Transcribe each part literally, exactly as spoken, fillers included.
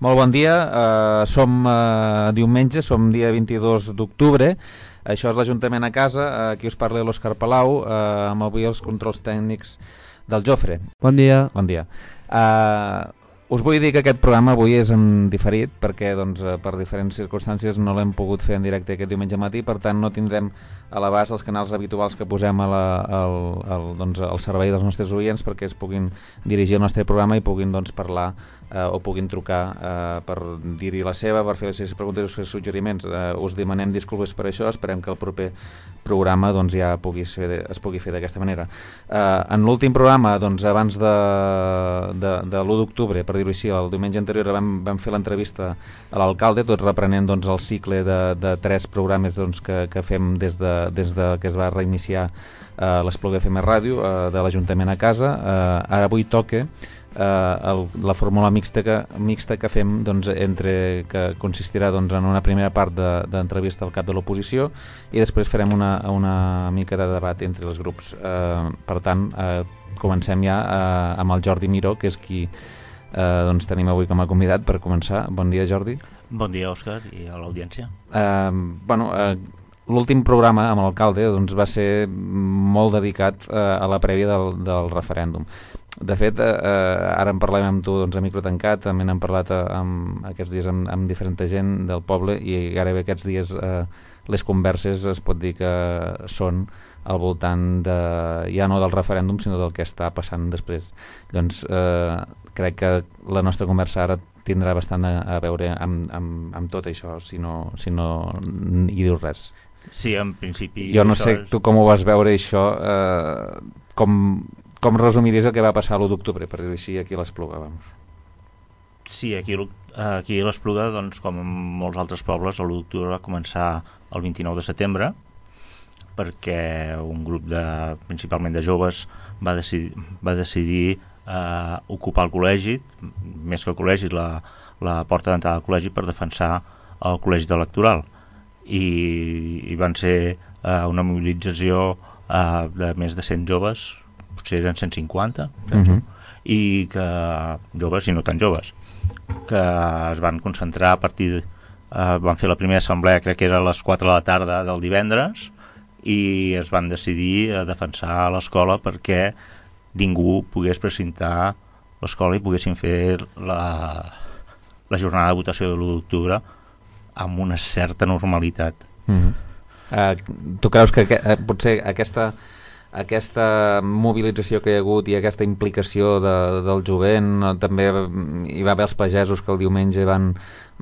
Molt bon dia, uh, som uh, diumenge, som dia vint-i-dos d'octubre, això és l'Ajuntament a casa, uh, aquí us parla l'Òscar Palau, uh, amb avui els controls tècnics del Jofre. Bon dia. Bon dia. Uh, us vull dir que aquest programa avui és en diferit, perquè doncs, per diferents circumstàncies no l'hem pogut fer en directe aquest diumenge matí, per tant no tindrem a l'abast els canals habituals que posem a la, al, al, doncs, al servei dels nostres oients perquè es puguin dirigir al nostre programa i puguin doncs, parlar eh, o puguin trucar eh, per dir-hi la seva, per fer les seves preguntes i els seus suggeriments. Eh, us demanem disculpes per això, esperem que el proper programa doncs, ja pugui ser de, es pugui fer d'aquesta manera. Eh, en l'últim programa, doncs, abans de, de, de l'u d'octubre, per dir-ho així, el diumenge anterior vam, vam fer l'entrevista a l'alcalde, tot reprenent doncs, el cicle de, de tres programes doncs, que, que fem des de des de que es va reiniciar eh, l'Espluga F M Ràdio eh, de l'Ajuntament a casa. Eh, ara avui toca eh, el, la fórmula mixta que, mixta que fem doncs, entre, que consistirà doncs, en una primera part d'entrevista de, al cap de l'oposició i després farem una, una mica de debat entre els grups. Eh, per tant, eh, comencem ja eh, amb el Jordi Miró, que és qui eh, doncs, tenim avui com a convidat per començar. Bon dia, Jordi. Bon dia, Òscar, i a l'audiència. Eh, bueno, eh, l'últim programa amb l'alcalde doncs, va ser molt dedicat eh, a la prèvia del, del referèndum. De fet, eh, ara en parlem amb tu doncs, a micro tancat, també n'hem parlat amb, aquests dies amb, amb diferent gent del poble i gairebé aquests dies eh, les converses es pot dir que són al voltant de, ja no del referèndum sinó del que està passant després. Doncs eh, crec que la nostra conversa ara tindrà bastant a, a veure amb, amb, amb tot això, si no, si no hi dius res. Sí, en principi... Jo no sé és... tu com ho vas veure això, eh, com, com resumiries el que va passar l'u d'octubre, per dir-ho així, aquí a l'Espluga, vamos. Sí, aquí, aquí a l'Espluga, doncs, com en molts altres pobles, l'u d'octubre va començar el vint-i-nou de setembre, perquè un grup de, principalment de joves va decidir, va decidir eh, ocupar el col·legi, més que el col·legi, la, la porta d'entrada al col·legi per defensar el col·legi electoral. I, i van ser eh, una mobilització eh, de més de cent joves, potser eren cent cinquanta, penso, uh-huh. i que joves i no tan joves, que es van concentrar a partir de, eh, van fer la primera assemblea, crec que era a les quatre de la tarda del divendres, i es van decidir a defensar l'escola perquè ningú pogués precintar l'escola i poguessin fer la, la jornada de votació de l'u d'octubre amb una certa normalitat. Mm-hmm. uh, tu creus que, que uh, potser aquesta aquesta mobilització que hi ha hagut i aquesta implicació de, del jovent, també hi va haver els pagesos que el diumenge van,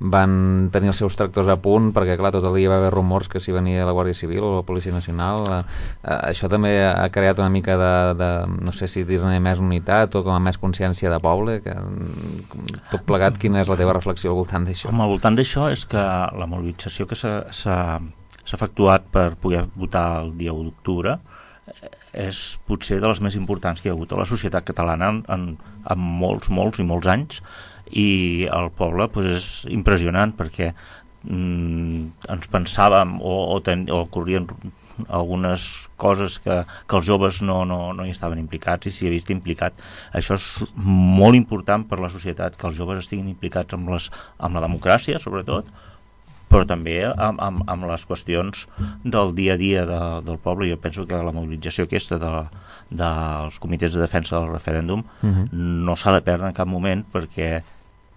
van tenir els seus tractors a punt perquè clar, tot el dia va haver rumors que si venia la Guàrdia Civil o la Policia Nacional, uh, uh, això també ha creat una mica de, de no sé si dir-ne més unitat o com a més consciència de poble, que tot plegat, quina és la teva reflexió al voltant d'això? Home, al voltant d'això és que la mobilització que s'ha, s'ha, s'ha efectuat per poder votar el dia u d'octubre és potser de les més importants que hi ha hagut a la societat catalana en, en, en molts, molts i molts anys, i el poble pues, és impressionant perquè mm, ens pensàvem o, o, ten, o corrien algunes coses que, que els joves no, no, no hi estaven implicats i s'hi ha vist implicat. Això és molt important per la societat, que els joves estiguin implicats amb, les, amb la democràcia, sobretot, però també amb, amb, amb les qüestions del dia a dia de, del poble. Jo penso que la mobilització aquesta de, dels comitès de defensa del referèndum uh-huh. no s'ha de perdre en cap moment, perquè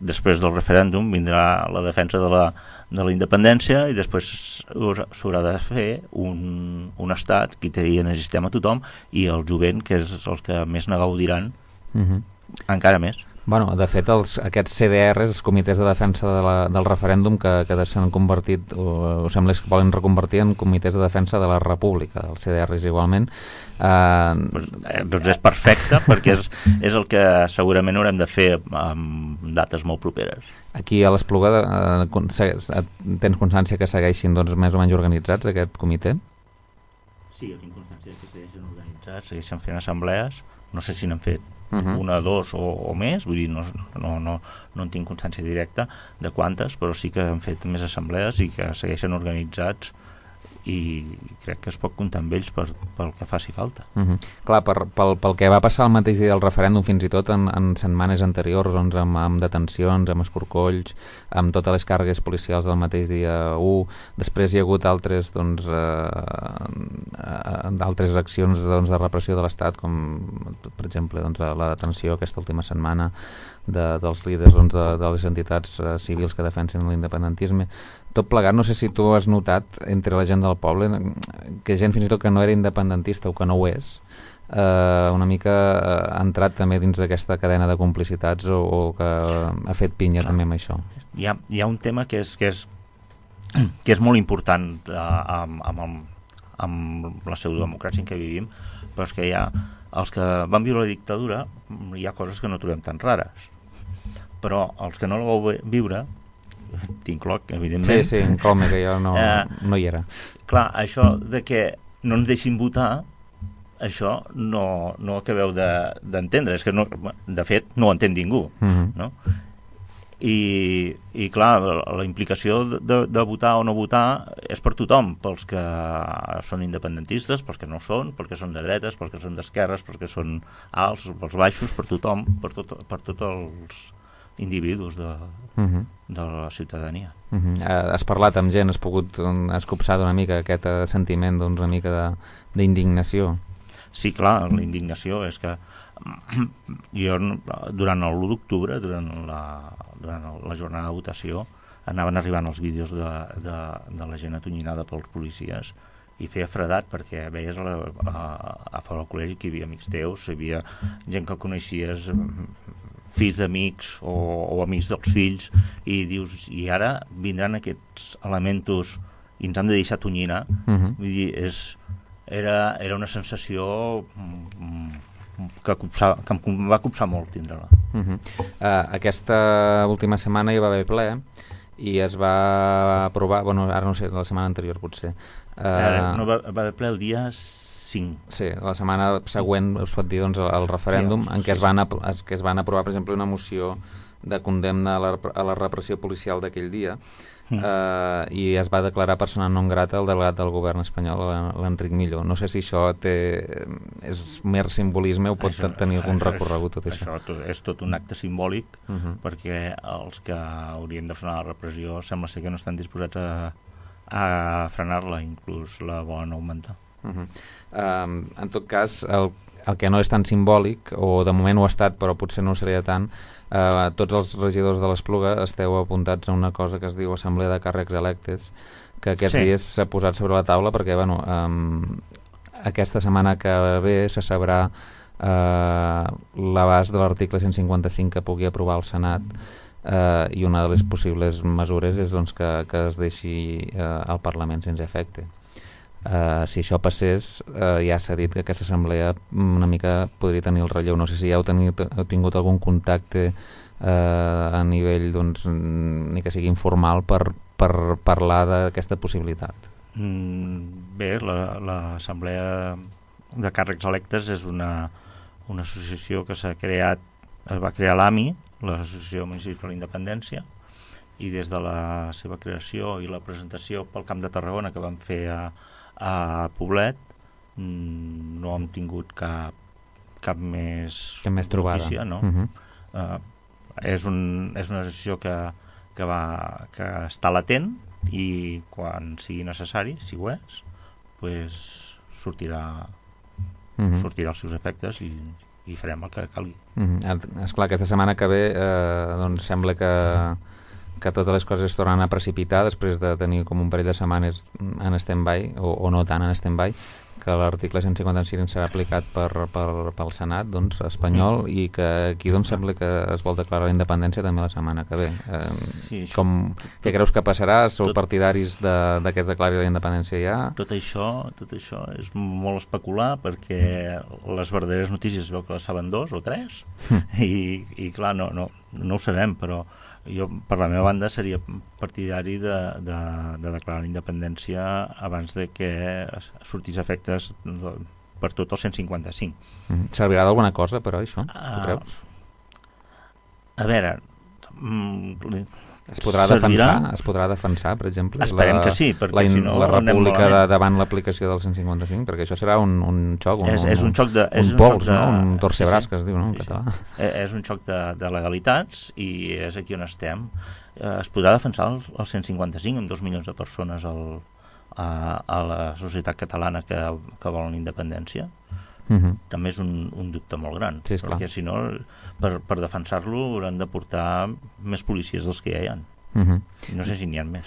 després del referèndum vindrà la defensa de la, de la independència i després s'haurà de fer un, un estat que hi necessitem a tothom, i el jovent, que és els que més ne gaudiran, uh-huh. encara més. Bueno, de fet, els, aquests C D Rs, els comitès de defensa de la, del referèndum, que, que s'han convertit, o, o sembla que volen reconvertir en comitès de defensa de la república, els C D Rs igualment. Eh, pues, eh, doncs és perfecte, perquè és, és el que segurament haurem de fer amb dates molt properes. Aquí a l'Espluga eh, tens constància que segueixin doncs, més o menys organitzats aquest comitè? Sí, jo tinc constància que segueixen organitzats, segueixen fent assemblees, no sé si n'han fet Uh-huh. una, dos o, o més, vull dir, no, no, no, no en tinc constància directa de quantes, però sí que han fet més assemblees i que segueixen organitzats i crec que es pot comptar amb ells per, pel que faci falta. Uh-huh. Clar, per, pel, pel que va passar el mateix dia del referèndum, fins i tot en, en setmanes anteriors, doncs, amb, amb detencions, amb escorcolls, amb totes les càrregues policials del mateix dia u, després hi ha hagut altres, doncs, eh, d'altres accions, doncs, de repressió de l'Estat, com per exemple, doncs, la detenció aquesta última setmana de, dels líders, doncs, de, de les entitats eh, civils que defensen l'independentisme. Tot plegat, no sé si tu has notat entre la gent del poble que gent fins i tot que no era independentista o que no ho és, eh, una mica ha entrat també dins d'aquesta cadena de complicitats o, o que ha fet pinya. Clar, també amb això. Hi ha, hi ha un tema que és, que és, que és molt important eh, amb, amb, amb la pseudodemocràcia en què vivim, però és que hi ha els que van viure la dictadura, hi ha coses que no trobem tan rares, però els que no la vau viure, t'incloc, evidentment. Sí, sí, inclome, que jo no, eh, no hi era. Clar, això de que no ens deixin votar, això no, no acabeu d'entendre, de, és que no, de fet no ho entén ningú, uh-huh. no? I, i clar, la implicació de, de votar o no votar és per tothom, pels que són independentistes, pels que no són, pels que són de dretes, pels que són d'esquerres, pels que són alts, pels baixos, per tothom, per, tot, per tots els individus de, uh-huh. de la ciutadania. Uh-huh. Has parlat amb gent, has pogut has copsat una mica aquest sentiment, doncs, una mica d'indignació. Sí, clar, la indignació és que jo durant l'u d'octubre, durant la, durant la jornada de votació, anaven arribant els vídeos de, de, de la gent atonyinada pels policies i feia fredat perquè veies a, la, a, a fora del col·legi que hi havia amics teus, hi havia gent que coneixies, fills d'amics o, o amics dels fills, i dius, i ara vindran aquests elementos i ens han de deixar atonyinar. Uh-huh. Vull dir, és, era, era una sensació que, copsava, que em va copsar molt tindre-la. Uh-huh. uh, aquesta última setmana hi va haver ple i es va aprovar, bueno, ara no sé, la setmana anterior potser. Uh, ara, no va, va haver ple el dia cinc. Sí, la setmana següent es pot dir, doncs, el referèndum, sí, en què es van, es, que es van aprovar, per exemple, una moció de condemna a la, a la repressió policial d'aquell dia, mm. eh, i es va declarar persona non grata el delegat del govern espanyol, l'Enric Millo. No sé si això té, és mer simbolisme o pot això, tenir algun recorregut tot això. Això tot, és tot un acte simbòlic, uh-huh. perquè els que haurien de frenar la repressió sembla ser que no estan disposats a, a frenar-la, inclús la volen augmentar. Uh-huh. um, en tot cas, el, el que no és tan simbòlic, o de moment ho ha estat però potser no ho seria tant, uh, tots els regidors de l'Espluga esteu apuntats a una cosa que es diu Assemblea de Càrrecs Electes, que aquests sí. dies s'ha posat sobre la taula perquè bueno, um, aquesta setmana que ve se sabrà uh, l'abast de l'article cent cinquanta-cinc que pugui aprovar el Senat, uh, i una de les possibles mesures és, doncs, que, que es deixi uh, el Parlament sense efecte. Uh, si això passés, uh, ja s'ha dit que aquesta assemblea una mica podria tenir el relleu. No sé si ja heu, tenit, heu tingut algun contacte uh, a nivell, doncs, ni que sigui informal, per, per parlar d'aquesta possibilitat. Mm, bé, l'Assemblea de Càrrecs Electes és una, una associació que s'ha creat, es va crear l'A M I, l'Associació Municipal de la Independència, i des de la seva creació i la presentació pel Camp de Tarragona que van fer a a Poblet, no hem tingut cap cap més, cap més notícia, no? Uh-huh. uh, és, un, és una associació que, que, va, que està latent i quan sigui necessari, si ho és, pues sortirà, uh-huh. sortirà els seus efectes i, i farem el que calgui. Uh-huh. Esclar, aquesta setmana que ve eh, doncs sembla que que totes les coses es tornen a precipitar després de tenir com un parell de setmanes en stand-by, o, o no tant en stand-by, que l'article cent cinquanta-cinc serà aplicat per, per, pel Senat, doncs, espanyol, mm. i que aquí doncs, sembla que es vol declarar la independència també la setmana que ve. Eh, sí, com, què creus que passarà? Sou tot, partidaris de, de que es declari la independència ja? Tot això, tot això és molt especular, perquè les verdaderes notícies es veu que les saben dos o tres, mm. i, i clar, no, no, no ho sabem, però jo, per la meva banda, seria partidari de, de, de declarar la independència abans de que sortís efectes per tot el cent cinquanta-cinc. Mm. Servirà d'alguna cosa, però, això? Uh, a veure, mm, Es podrà servirà... defensar, es podrà defensar, per exemple, Esperem la, que sí, perquè la, si no la República de, malament. davant l'aplicació del cent cinquanta-cinc, perquè això serà un, un xoc, un, és, és un xoc de, un, és un un pols, xoc de... no? Un torcebràs, sí, sí. que es diu, no? En sí, català. Sí. És un xoc de, de legalitats i és aquí on estem. Es podrà defensar el, el cent cinquanta-cinc amb dos milions de persones al, a, a la societat catalana que, que volen independència? Uh-huh. També és un, un dubte molt gran, sí, perquè si no, per, per defensar-lo hauran de portar més policies dels que ja hi ha. Uh-huh. I no sé si n'hi ha més.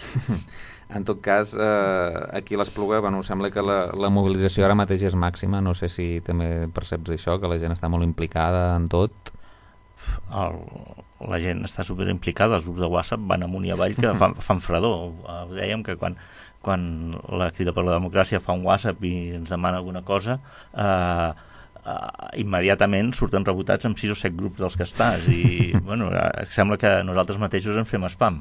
En tot cas, eh, aquí a l'Espluga, bueno, sembla que la, la mobilització ara mateix és màxima, no sé si també perceps això, que la gent està molt implicada en tot. El, la gent està super implicada, els grups de WhatsApp van amunt i avall que fan, fan fredor. Dèiem que quan quan la Crida per la Democràcia fa un WhatsApp i ens demana alguna cosa, eh, eh, immediatament surten rebotats amb sis o set grups dels que estàs i bueno, sembla que nosaltres mateixos en fem spam.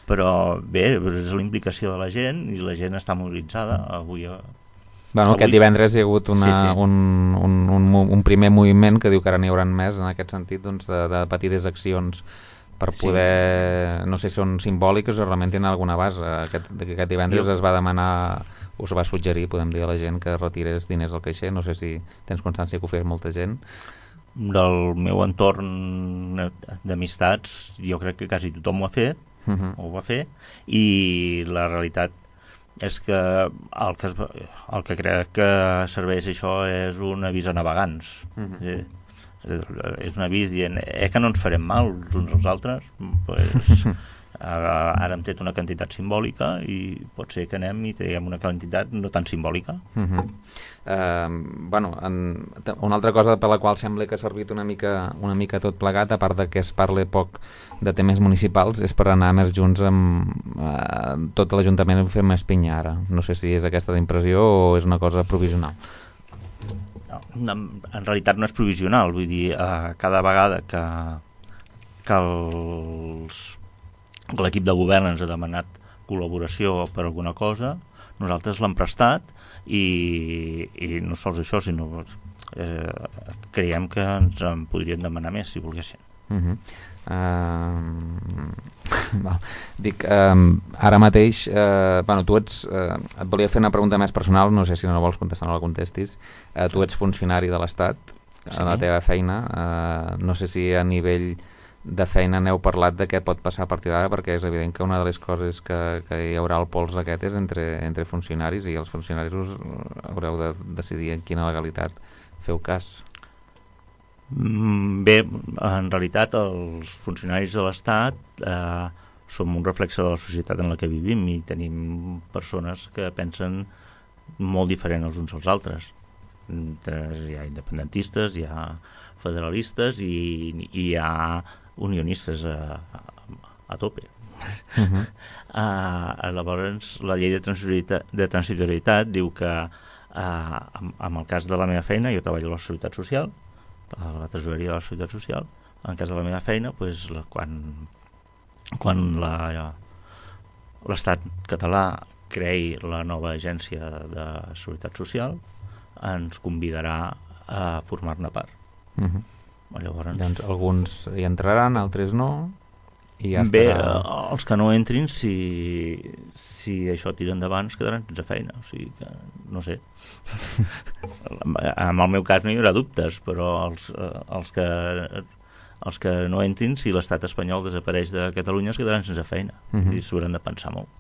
Però bé, és la implicació de la gent i la gent està mobilitzada. Avui... Bueno, avui... aquest divendres hi ha hagut una, sí, sí. Un, un, un, un primer moviment que diu que ara n'hi haurà més en aquest sentit, doncs, de, de petites accions per poder, sí. no sé si són simbòliques o realment tenen alguna base. Aquest, aquest divendres jo... es va demanar, o es va suggerir, podem dir a la gent, que retirés diners al caixer. No sé si tens constància que ho fes molta gent. Del meu entorn d'amistats, jo crec que quasi tothom ho ha fet, uh-huh. ho va fer, i la realitat és que el que, es, el que crec que serveix això és un avís a navegants. Uh-huh. Sí. És un avís dient eh, que no ens farem mal els uns als altres, pues, ara, ara hem tret una quantitat simbòlica i pot ser que anem i traiem una quantitat no tan simbòlica. Uh-huh. uh, bueno, en, una altra cosa per la qual sembla que ha servit una mica, una mica tot plegat, a part de que es parla poc de temes municipals, és per anar més junts amb uh, tot l'Ajuntament i fer més pinya ara. No sé si és aquesta la impressió o és una cosa provisional. En realitat no és provisional, vull dir, eh, cada vegada que, que l'equip de govern ens ha demanat col·laboració per alguna cosa, nosaltres l'hem prestat i, i no sols això, sinó eh, creiem que ens en podrien demanar més si volguessin. Uh-huh. Uh, val. Dic, uh, ara mateix uh, bueno, tu ets uh, et volia fer una pregunta més personal, no sé si no la vols contestar, no la contestis. Uh, tu ets funcionari de l'Estat, sí. A la teva feina, uh, no sé si a nivell de feina n'heu parlat de què pot passar a partir d'ara, perquè és evident que una de les coses que, que hi haurà el pols aquest és entre, entre funcionaris, i els funcionaris us haureu de decidir en quina legalitat feu cas. Bé, en realitat els funcionaris de l'Estat eh, som un reflexe de la societat en la que vivim i tenim persones que pensen molt diferent els uns als altres. Hi ha independentistes, hi ha federalistes i, i hi ha unionistes a, a, a tope. Uh-huh. uh, llavors la llei de transitorietat, de transitorietat diu que uh, en, en el cas de la meva feina, jo treballo a la Seguretat Social, a la tresoreria de la Seguretat Social, en cas de la meva feina, pues, la, quan, quan la, l'Estat català creï la nova agència de Seguretat Social, ens convidarà a formar-ne part. Uh-huh. Llavors, doncs alguns hi entraran, altres no, i ja bé, estarà... els que no entrin, si, si això tira endavant, es quedaran sense feina, o sigui que no sé. En el meu cas no hi haurà dubtes, però els, els, que, els que no entrin, si l'estat espanyol desapareix de Catalunya, es quedaran sense feina. Uh-huh. I s'hauran de pensar molt.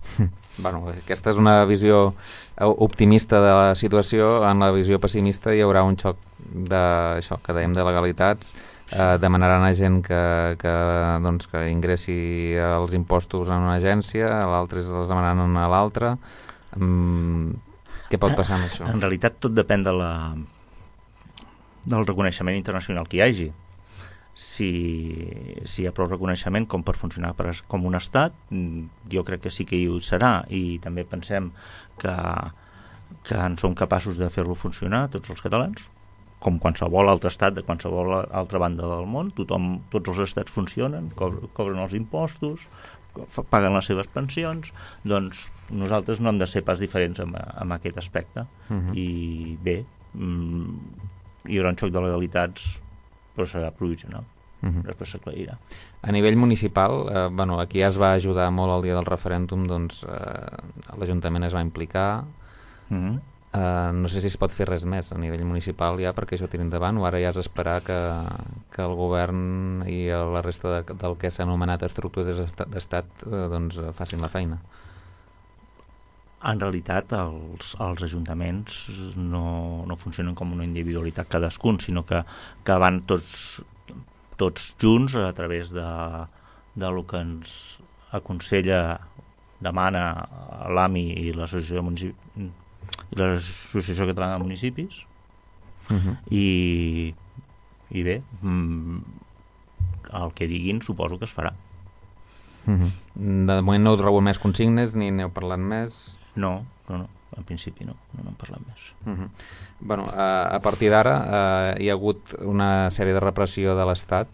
Bueno, aquesta és una visió optimista de la situació. En la visió pessimista hi haurà un xoc de, això, que dèiem, de legalitats. Eh, demanaran a gent que, que, doncs, que ingressi els impostos en una agència, l'altre els demanaran a l'altra. Mm, què pot passar amb això? En realitat tot depèn de la, del reconeixement internacional que hi hagi. Si, si hi ha prou reconeixement com per funcionar per, com un estat, jo crec que sí que hi serà, i també pensem que, que en som capaços de fer-lo funcionar tots els catalans, com qualsevol altre estat de qualsevol altra banda del món. Tothom, tots els estats funcionen, co cobren els impostos, paguen les seves pensions, doncs nosaltres no hem de ser pas diferents en, en aquest aspecte. Uh-huh. I bé, mm, hi haurà un xoc de legalitats, però serà provisional. uh-huh. després s'aclarirà. A nivell municipal, eh, bueno, aquí ja es va ajudar molt el dia del referèndum, doncs eh, l'Ajuntament es va implicar. Uh-huh. eh, no sé si es pot fer res més a nivell municipal ja perquè això tiri endavant, o ara ja és esperar que, que el govern i la resta de, del que s'ha anomenat estructures d'estat eh, doncs facin la feina. En realitat els, els ajuntaments no, no funcionen com una individualitat cadascun, sinó que, que van tots tots junts a través de, de lo que ens aconsella, demana l'A M I i l'Associació Municip... i l'Associació Catalana de Municipis uh-huh. i, i bé el que diguin suposo que es farà. Uh-huh. De moment no heu rebut més consignes ni n'heu parlat més? No, no, no, en principi no, no n'hem parlat més. Uh-huh. Bueno, a, a partir d'ara eh, hi ha hagut una sèrie de repressió de l'Estat.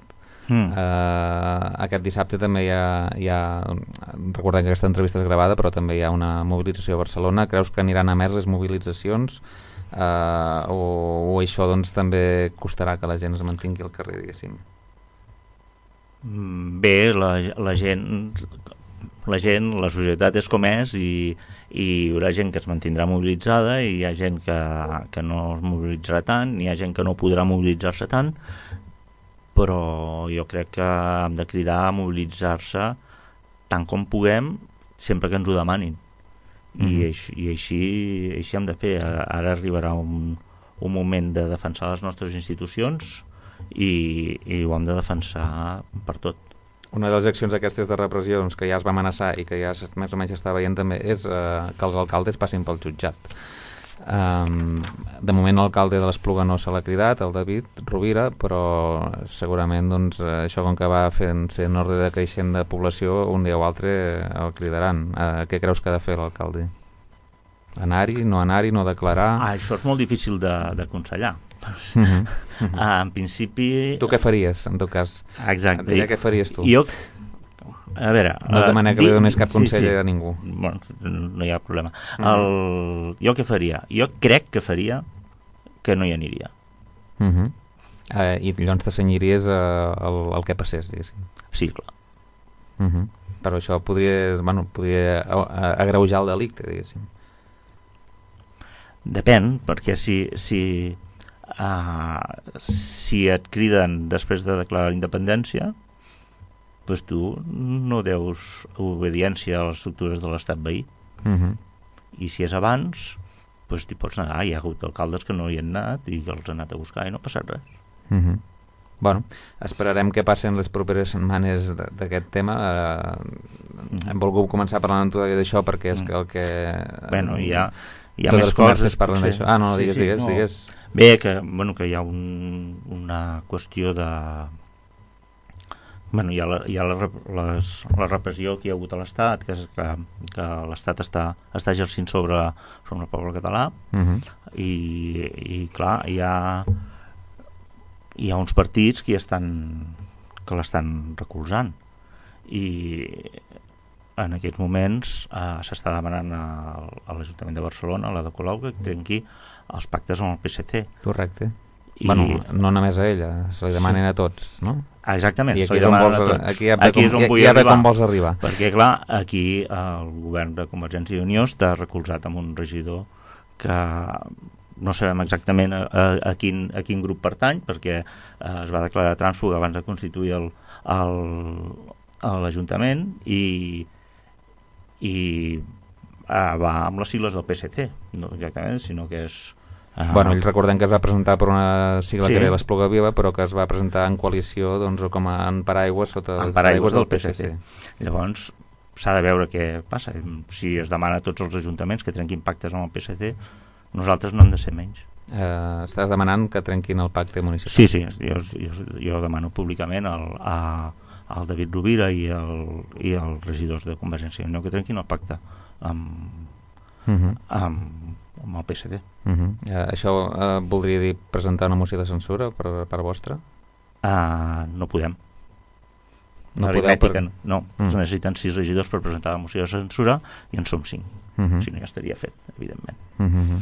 Mm. Eh, aquest dissabte també hi ha, hi ha recordem que aquesta entrevista és gravada, però també hi ha una mobilització a Barcelona. Creus que aniran a més les mobilitzacions eh, o, o això doncs també costarà que la gent es mantingui al carrer, diguéssim? Bé, la, la gent la gent, la societat és com és i, i hi haurà gent que es mantindrà mobilitzada i hi ha gent que, que no es mobilitzarà tant, hi ha gent que no podrà mobilitzar-se tant, però jo crec que hem de cridar a mobilitzar-se tant com puguem sempre que ens ho demanin. Mm-hmm. I, així, i així, així hem de fer. Ara arribarà un, un moment de defensar les nostres institucions i, i ho hem de defensar per tot. Una de les accions aquestes de repressió doncs, que ja es va amenaçar i que ja més o menys està veient també és eh, que els alcaldes passin pel jutjat. Um, de moment l'alcalde de l'Espluga no se l'ha cridat, el David Rovira, però segurament doncs, això com que va fent, fent ordre de creixent de població, un dia o altre el cridaran. Uh, què creus que ha de fer l'alcalde? Anar-hi, no anar-hi, no declarar? Ah, això és molt difícil d'aconsellar. Uh-huh. Uh-huh. Ah, en principi... Tu què faries, en tot cas? Exacte. Et diria què faries tu? Jo... A veure... No demana que li donis cap consell sí, sí. a ningú. Bueno, no hi ha problema. Uh-huh. El... Jo què faria? Jo crec que faria que no hi aniria. Uh-huh. Uh, I llavors t'assenyiries uh, el, el que passés, diguéssim. Sí, clar. Uh-huh. Però això podria, bueno, podria agreujar el delicte, diguéssim. Depèn, perquè si, si, uh, si et criden després de declarar la independència, doncs tu no deus obediència a les estructures de l'estat veí. Uh-huh. I si és abans, doncs t'hi pots negar. Hi ha hagut alcaldes que no hi han anat i que els han anat a buscar i no ha passat res. Uh-huh. Bueno, esperarem que passen les properes setmanes d'aquest tema. Uh, hem volgut començar parlant d'això perquè és que el que... Bueno, hi ha... Hi ha més coses parlen d'això. Ah, no, digues, sí, sí, digues, no. digues. Bé, que, bueno, que hi ha un, una qüestió de... Bueno, hi ha, la, hi ha la, les, la repressió que hi ha hagut a l'Estat, que, és que, que l'Estat està, està exercint sobre, sobre el poble català, uh-huh. i, i clar, hi ha, hi ha uns partits que, estan, que l'estan recolzant. I... en aquests moments eh, s'està demanant a, a l'Ajuntament de Barcelona, a la de Colau, que trenqui els pactes amb el P S C. Correcte. I... Bueno, no només a ella, se li demanen sí. a tots, no? Ah, exactament, I se li demanen a tots. Aquí ja ve com, ja, ja ve com vols arribar. Perquè, clar, aquí el govern de Convergència i Unió està recolzat amb un regidor que no sabem exactament a, a, a, quin, a quin grup pertany, perquè eh, es va declarar trànsfug abans de constituir el, el, l'Ajuntament i i uh, va amb les sigles del P S C, no exactament, sinó que és... Uh... Bueno, ells recordem que es va presentar per una sigla sí. que era l'Espluga Viva, però que es va presentar en coalició doncs, com a en paraigües sota en paraigües del P S C. P S C. Llavors, s'ha de veure què passa. Si es demana a tots els ajuntaments que trenquin pactes amb el P S C, nosaltres no hem de ser menys. Uh, estàs demanant que trenquin el pacte municipal? Sí, sí, jo, jo, jo demano públicament el, a el David Rovira i, el, i els regidors de Convergència i Unió que trenquin el pacte amb, uh-huh. amb, amb el P S D. Uh-huh. Uh, això uh, voldria dir presentar una moció de censura per, per vostra? Uh, no podem. No aritmètica, per... no. Mm. Es necessiten sis regidors per presentar la moció de censura i en som cinc. Mm-hmm. Si no, ja estaria fet, evidentment. Mm-hmm.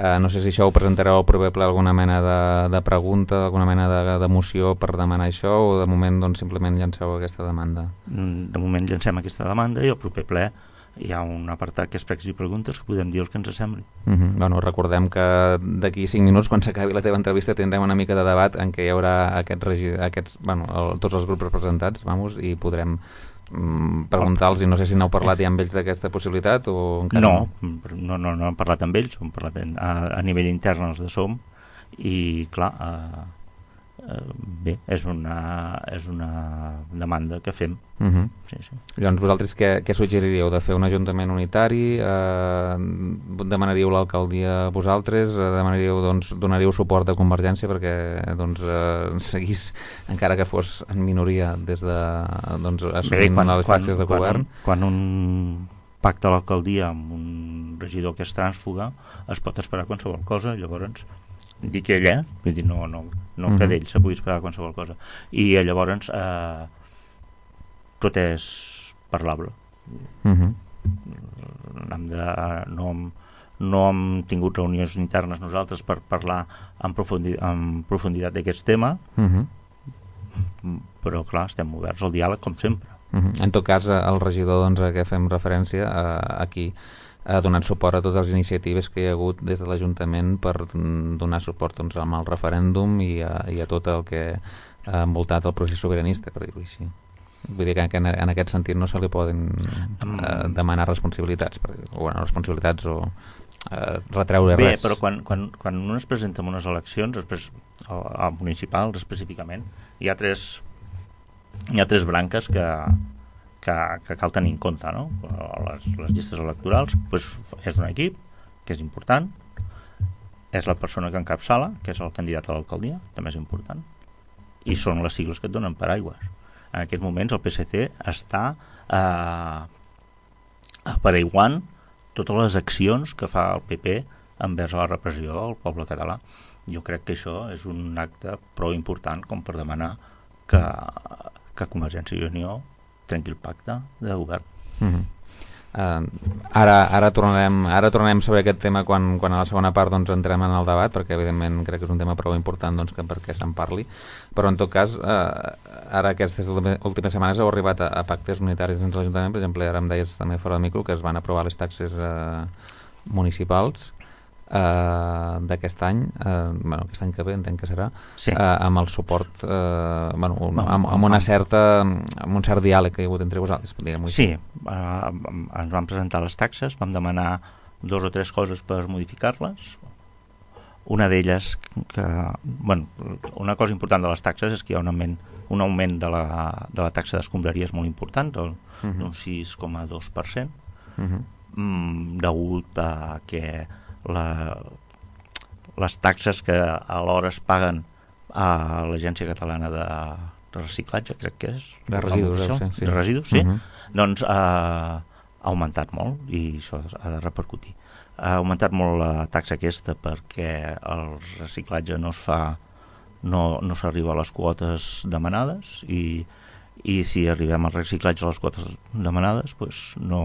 uh, no sé si això ho presentareu al proper ple, alguna mena de, de pregunta, alguna mena de, de moció per demanar això, o de moment doncs, simplement llanceu aquesta demanda? De moment llancem aquesta demanda i al proper ple hi ha un apartat que és pregs i preguntes que podem dir el que ens sembli. Mm-hmm. Bueno, recordem que d'aquí cinc minuts, quan s'acabi la teva entrevista, tindrem una mica de debat en què hi haurà aquests, regi... aquests bueno, el, tots els grups representats, vamos, i podrem mm, preguntar-los, i no sé si n'heu parlat ja amb ells d'aquesta possibilitat o encara no. No, no, no hem parlat amb ells, hem parlat a, a nivell intern els de SOM, i clar, eh, eh, bé, és una, és una demanda que fem. Uh-huh. Sí, sí. Llavors vosaltres què, què suggeriríeu? De fer un ajuntament unitari? Eh, demanaríeu l'alcaldia vosaltres? Eh, demanaríeu, doncs, donaríeu suport a Convergència perquè doncs, eh, seguís, encara que fos en minoria, des de doncs, assumint quan, les taxes de quan, govern? Quan un pacta a l'alcaldia amb un regidor que és trànsfuga es pot esperar qualsevol cosa, llavors dic ell, eh? Vull dir, no, no, no uh-huh. que d'ell se pugui esperar qualsevol cosa, i llavors eh, tot és parlable. Uh-huh. Hem de, no, hem, no hem tingut reunions internes nosaltres per parlar en, profundi, en profunditat d'aquest tema, uh-huh. però clar, estem oberts al diàleg com sempre. Uh-huh. En tot cas, el regidor doncs, a què fem referència eh, aquí ha donat suport a totes les iniciatives que hi ha hagut des de l'Ajuntament per donar suport doncs, amb el referèndum i a, i a tot el que ha envoltat el procés sobiranista, per dir-ho així. Vull dir que en, en aquest sentit no se li poden eh, demanar responsabilitats, per dir, o bueno, responsabilitats o eh, retreure Bé, res. Bé, però quan, quan, quan un es presenta en unes eleccions, després, a, a municipals específicament, hi ha tres, hi ha tres branques que Que, que cal tenir en compte, no? Les, les llistes electorals, doncs és un equip que és important, és la persona que encapçala, que és el candidat a l'alcaldia, també és important, i són les sigles que et donen paraigües. En aquests moments el P S C està eh, aparaiguant totes les accions que fa el P P envers la repressió del poble català. Jo crec que això és un acte prou important com per demanar que, que Convergència i Unió trenqui el pacte de govern. Uh-huh. uh, ara, ara, tornarem, ara tornarem sobre aquest tema quan, quan a la segona part doncs, entrem en el debat, perquè evidentment crec que és un tema prou important doncs, que perquè se'n parli, però en tot cas uh, ara aquestes últimes setmanes heu arribat a, a pactes unitaris dins l'Ajuntament. Per exemple, ara em deies també fora de micro que es van aprovar les taxes uh, municipals Uh, d'aquest any, uh, bueno, aquest any que ve entenc que serà, sí. uh, amb el suport uh, bueno, un, no, amb, amb una certa amb un cert diàleg que hi ha hagut entre vosaltres, diguem-ho sí, uh, ens vam presentar les taxes, vam demanar dos o tres coses per modificar-les. Una d'elles que, bueno, una cosa important de les taxes és que hi ha un augment, un augment de, la, de la taxa d'escombraries molt important, d'un uh-huh. sis coma dos per cent, uh-huh. mm, degut a que La, les taxes que alhora es paguen a l'Agència Catalana de, de Reciclatge, crec que és de residus, no, sí, sí. de residus sí. Uh-huh. Doncs ha, ha augmentat molt i això ha de repercutir. Ha augmentat molt la taxa aquesta perquè el reciclatge no es fa, no, no s'arriba a les quotes demanades i, i si arribem al reciclatge a les quotes demanades doncs no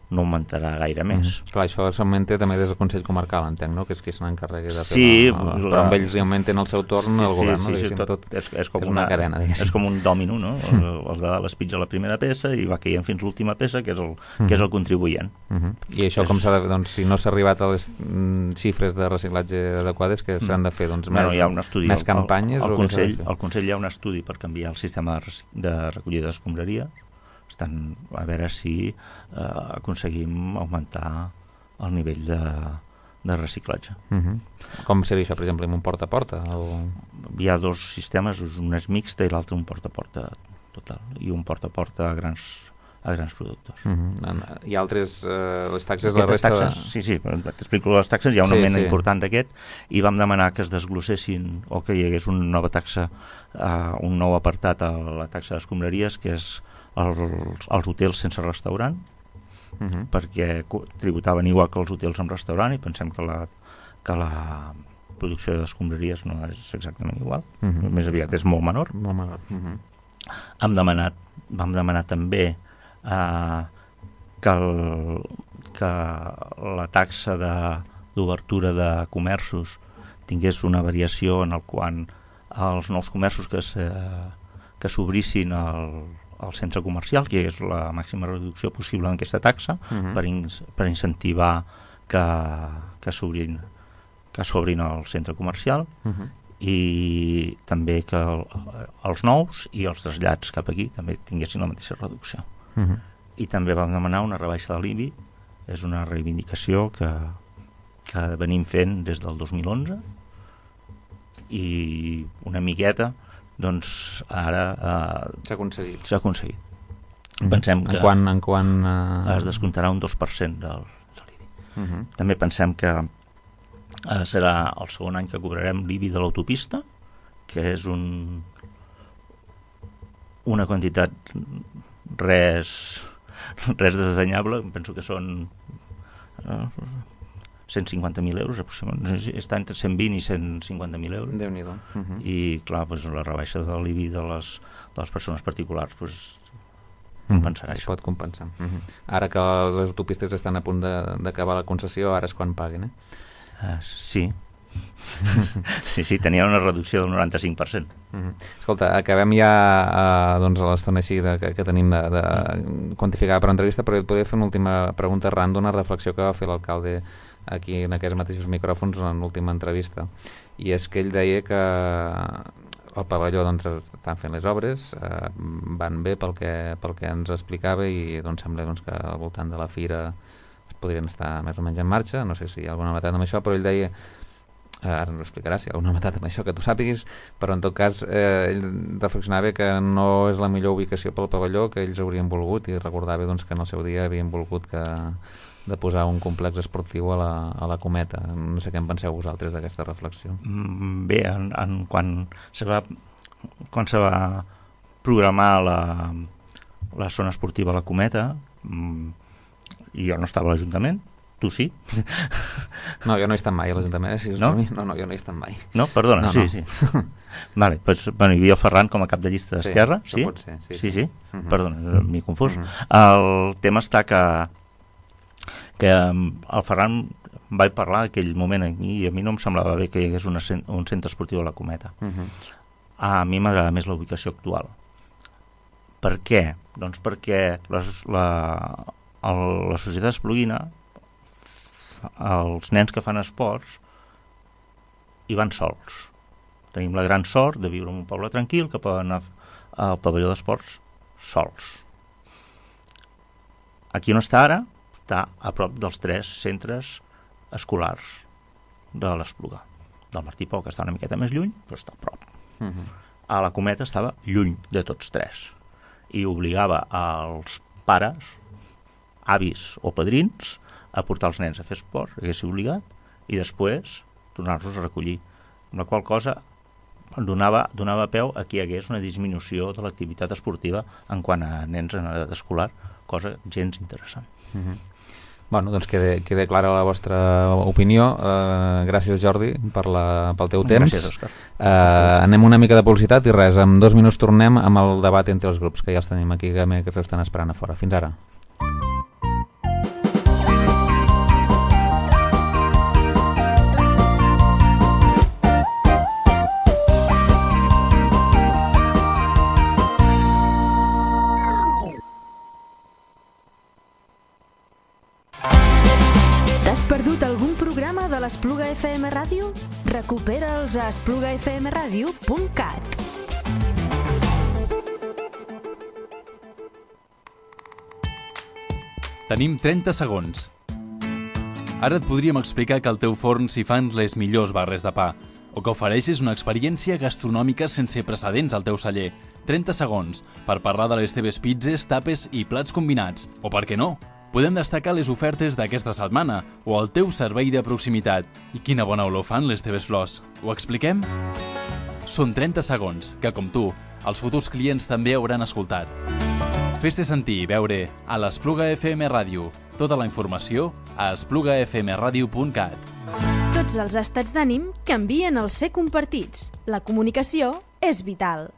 no augmentarà gaire més. Mm-hmm. Clar, això s'augmenta també des del Consell Comarcal, entenc, no? Que és qui se n'encarregui de fer sí, la, la, la... però amb ells augmenten el seu torn sí, el govern, sí, no? Sí, sí, tot, tot és, és, com és una, una cadena, diguéssim. És com un dòmino, no? El, el de l'espitja la primera peça i va caient fins l'última peça, que és el, mm-hmm. que és el contribuent. Mm-hmm. I això és... com s'ha de fer? Doncs si no s'ha arribat a les mm, xifres de reciclatge adequades, que s'han de fer? Doncs bueno, més, hi ha un estudi, més campanyes? Al, al, o Consell, al Consell hi ha un estudi per canviar el sistema de, de recollida d'escombraria. Estan a veure si eh, aconseguim augmentar el nivell de, de reciclatge. Uh-huh. Com seria això, per exemple, amb un porta a porta? O... Hi ha dos sistemes, un és mixta i l'altre un porta a porta total, i un porta a porta a grans, a grans productors. Uh-huh. I altres, eh, les taxes, Aquestes la resta... Taxes, de... Sí, sí, t'explico les taxes, hi ha un sí, augment sí. important d'aquest, i vam demanar que es desglossessin o que hi hagués una nova taxa, uh, un nou apartat a la taxa d'escombraries, que és els, els hotels sense restaurant, uh-huh. perquè tributaven igual que els hotels amb restaurant i pensem que la, que la producció d'escombraries no és exactament igual, uh-huh. més aviat és molt menor. Molt menor. Uh-huh. hem demanat, vam demanar també eh, que, el, que la taxa d'obertura de, de comerços tingués una variació en el qual els nous comerços que se, que s'obrissin al, al centre comercial, que és la màxima reducció possible en aquesta taxa, uh-huh. per, in, per incentivar que, que s'obrin que s'obrin al centre comercial, uh-huh. i també que el, els nous i els trasllats cap aquí també tinguessin la mateixa reducció. Uh-huh. I també vam demanar una rebaixa de l'I B I, és una reivindicació que, que venim fent des del dos mil onze, i una miqueta doncs ara eh, s'ha aconseguit. S'ha aconseguit. Uh-huh. Pensem que en quan, en quan, uh... es descomptarà un dos per cent del, de l'I B I. Uh-huh. També pensem que eh, serà el segon any que cobrarem l'I B I de l'autopista, que és un una quantitat res res desdenyable, penso que són eh, cent cinquanta mil euros aproximadament, està entre cent vint i cent cinquanta mil euros. Déu-n'hi-do. Uh-huh. I clar, doncs, la rebaixa de l'I B I de les, de les persones particulars doncs, compensarà uh-huh. això. Es pot compensar. Uh-huh. Ara que les autopistes estan a punt d'acabar la concessió, ara és quan paguen, eh? Uh, sí. sí, sí, tenia una reducció del noranta-cinc per cent. Uh-huh. Escolta, acabem ja uh, doncs a l'estona així de, que, que tenim de, de quantificar per entrevista, però et podria fer una última pregunta arran d'una reflexió que va fer l'alcalde aquí en aquests mateixos micròfons en l'última entrevista, i és que ell deia que el pavelló doncs estan fent les obres, eh, van bé pel que, pel que ens explicava, i doncs sembla doncs, que al voltant de la fira podrien estar més o menys en marxa. No sé si hi ha alguna novetat amb això, però ell deia, eh, ara ens ho explicarà si hi ha alguna novetat amb això que tu sàpiguis, però en tot cas eh, ell reflexionava que no és la millor ubicació pel pavelló que ells haurien volgut, i recordava doncs, que en el seu dia havien volgut que de posar un complex esportiu a la, a la Cometa. No sé què en penseu vosaltres d'aquesta reflexió. Bé, en, en, quan se va quan se va programar la, la zona esportiva a la Cometa, jo no estava a l'Ajuntament, tu sí? No, jo no he estat mai a l'Ajuntament, eh? Si és no? per mi, no, no, jo no he estat mai. No? Perdona, no, sí, no. sí. Vale, pues, bueno, hi havia el Ferran com a cap de llista d'Esquerra, sí? Sí, pot ser, sí, sí, sí. sí. Uh-huh. Perdona, m'he confós. Uh-huh. El tema està que que el Ferran vaig parlar en aquell moment aquí, i a mi no em semblava bé que hi hagués una, un centre esportiu a la Cometa. Uh-huh. A mi m'agrada més la ubicació actual. Per què? Doncs perquè les, la, el, la societat espluguina, els nens que fan esports hi van sols. Tenim la gran sort de viure en un poble tranquil, que poden anar al pavelló d'esports sols. Aquí on està ara, està a prop dels tres centres escolars de l'Espluga. Del Martí Pau, que està una miqueta més lluny, però està a prop. Uh-huh. A la Cometa estava lluny de tots tres, i obligava als pares, avis o padrins, a portar els nens a fer esport, hagués obligat, i després tornar-los a recollir. Amb la qual cosa donava, donava peu a que hi hagués una disminució de l'activitat esportiva en quant a nens en edat escolar, cosa gens interessant. Uh-huh. Bueno, doncs queda, queda clara la vostra opinió. Uh, gràcies, Jordi, per la, pel teu temps. Gràcies, Òscar. Uh, anem una mica de publicitat i res, en dos minuts tornem amb el debat entre els grups, que ja els tenim aquí, que, que s'estan esperant a fora. Fins ara. T'has perdut algun programa de l'Espluga F M Ràdio? Recupera'ls a espluga f m radio punt cat. Tenim trenta segons. Ara et podríem explicar que al teu forn s'hi fan les millors barres de pa, o que ofereixes una experiència gastronòmica sense precedents al teu celler. trenta segons per parlar de les teves pizzas, tapes i plats combinats. O per què no? Podem destacar les ofertes d'aquesta setmana o el teu servei de proximitat. I quina bona olor fan les teves flors. Ho expliquem? Són trenta segons que, com tu, els futurs clients també hauran escoltat. Fes-te sentir i veure a l'Espluga F M Ràdio. Tota la informació a espluga f m radio punt cat. Tots els estats d'ànim canvien al ser compartits. La comunicació és vital.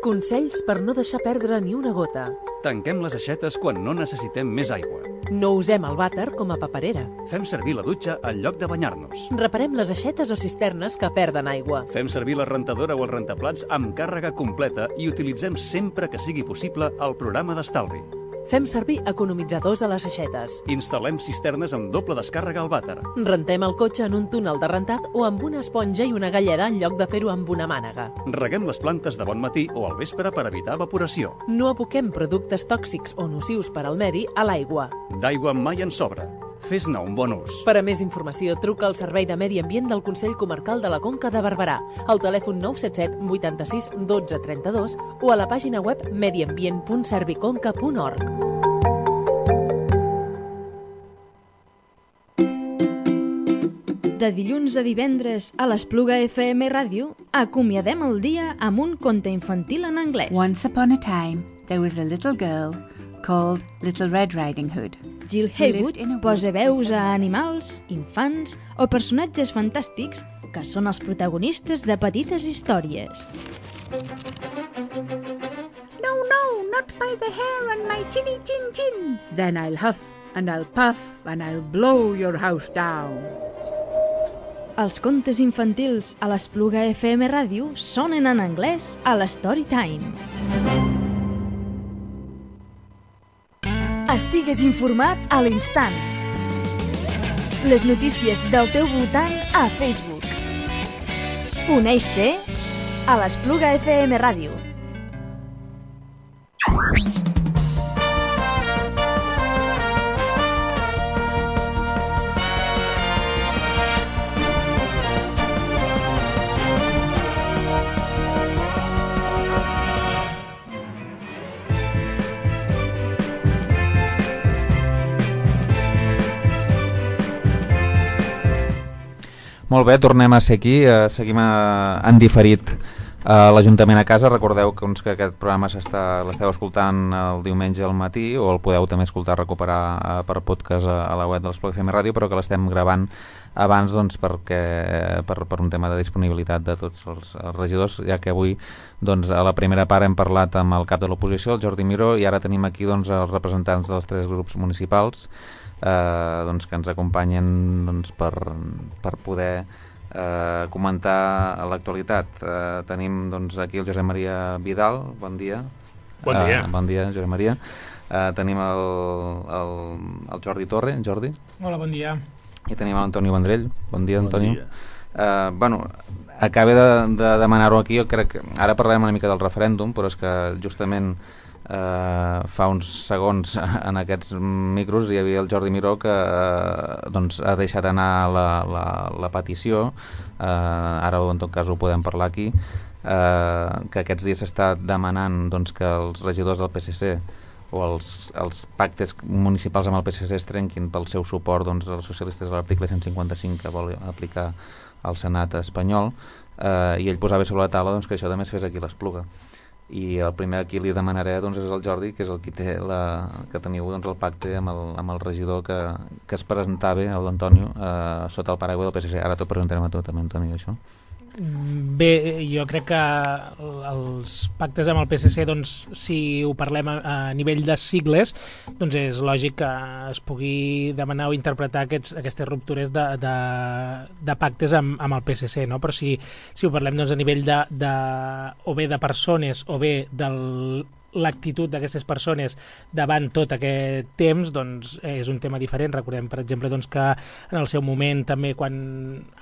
Consells per no deixar perdre ni una gota. Tanquem les aixetes quan no necessitem més aigua. No usem el vàter com a paperera. Fem servir la dutxa en lloc de banyar-nos. Reparem les aixetes o cisternes que perden aigua. Fem servir la rentadora o el rentaplats amb càrrega completa i utilitzem sempre que sigui possible el programa d'estalvi. Fem servir economitzadors a les aixetes. Instal·lem cisternes amb doble descàrrega al vàter. Rentem el cotxe en un túnel de rentat o amb una esponja i una galleda en lloc de fer-ho amb una mànega. Reguem les plantes de bon matí o al vespre per evitar evaporació. No aboquem productes tòxics o nocius per al medi a l'aigua. D'aigua mai en sobra. Fes-ne un bon ús. Per a més informació, truca al Servei de Medi Ambient del Consell Comarcal de la Conca de Barberà, al telèfon nou set set vuitanta-sis dotze trenta-dos o a la pàgina web mediambient punt serviconca punt org. De dilluns a divendres a l'Espluga F M Ràdio acomiadem el dia amb un conte infantil en anglès. Once upon a time, there was a little girl called Little Red Riding Hood. Jill Haywood posa veus a animals, infants o personatges fantàstics que són els protagonistes de petites històries. No, no, not by the hair on my chinny chin chin. Then I'll huff and I'll puff and I'll blow your house down. Els contes infantils a l'Espluga F M Ràdio sonen en anglès a l'Storytime. Estigues informat a l'instant. Les notícies del teu voltant a Facebook. Uneix-te a l'Espluga F M Ràdio. Molt bé, tornem a ser aquí, eh, seguim a, en diferit a l'Ajuntament a casa. Recordeu que, doncs, que aquest programa l'esteu escoltant el diumenge al matí o el podeu també escoltar, recuperar eh, per podcast a, a la web de l'Espluga F M Ràdio, però que l'estem gravant abans doncs, perquè, per, per un tema de disponibilitat de tots els, els regidors, ja que avui doncs, a la primera part hem parlat amb el cap de l'oposició, el Jordi Miró, i ara tenim aquí doncs, els representants dels tres grups municipals Eh, doncs, que ens acompanyen doncs, per, per poder eh, comentar l'actualitat. Eh, tenim doncs, aquí el Josep Maria Vidal, bon dia. Bon dia. Eh, bon dia, Josep Maria. Eh, tenim el, el, el Jordi Torre, Jordi. Hola, bon dia. I tenim l'Antonio Vendrell. Bon dia, Bon Antonio. dia. Eh, bueno, acaba de, de demanar-ho aquí, jo crec que ara parlarem una mica del referèndum, però és que justament Uh, fa uns segons en aquests micros hi havia el Jordi Miró que uh, doncs, ha deixat anar la, la, la petició, uh, ara en tot cas ho podem parlar aquí, uh, que aquests dies s'està demanant doncs, que els regidors del P S C o els, els pactes municipals amb el P S C es trenquin pel seu suport doncs, als socialistes de l'article cent cinquanta-cinc que vol aplicar al Senat espanyol, uh, i ell posava sobre la taula doncs, que això també es fes aquí a l'Espluga. I el primer a qui li demanaré doncs, és el Jordi, que és el qui té la, que teniu doncs, el pacte amb el, amb el regidor que, que es presentava, l'Antonio, eh, sota el paraigua del P S C. Ara t'ho preguntarem a tu també, Antonio, això. Bé, jo crec que els pactes amb el P S C, doncs, si ho parlem a, a nivell de sigles, doncs és lògic que es pugui demanar o interpretar aquests, aquestes ruptures de, de, de pactes amb, amb el P S C, no? Però si, si ho parlem doncs, a nivell de, de, o bé de persones o bé del l'actitud d'aquestes persones davant tot aquest temps, doncs és un tema diferent. Recordem, per exemple, doncs, que en el seu moment també, quan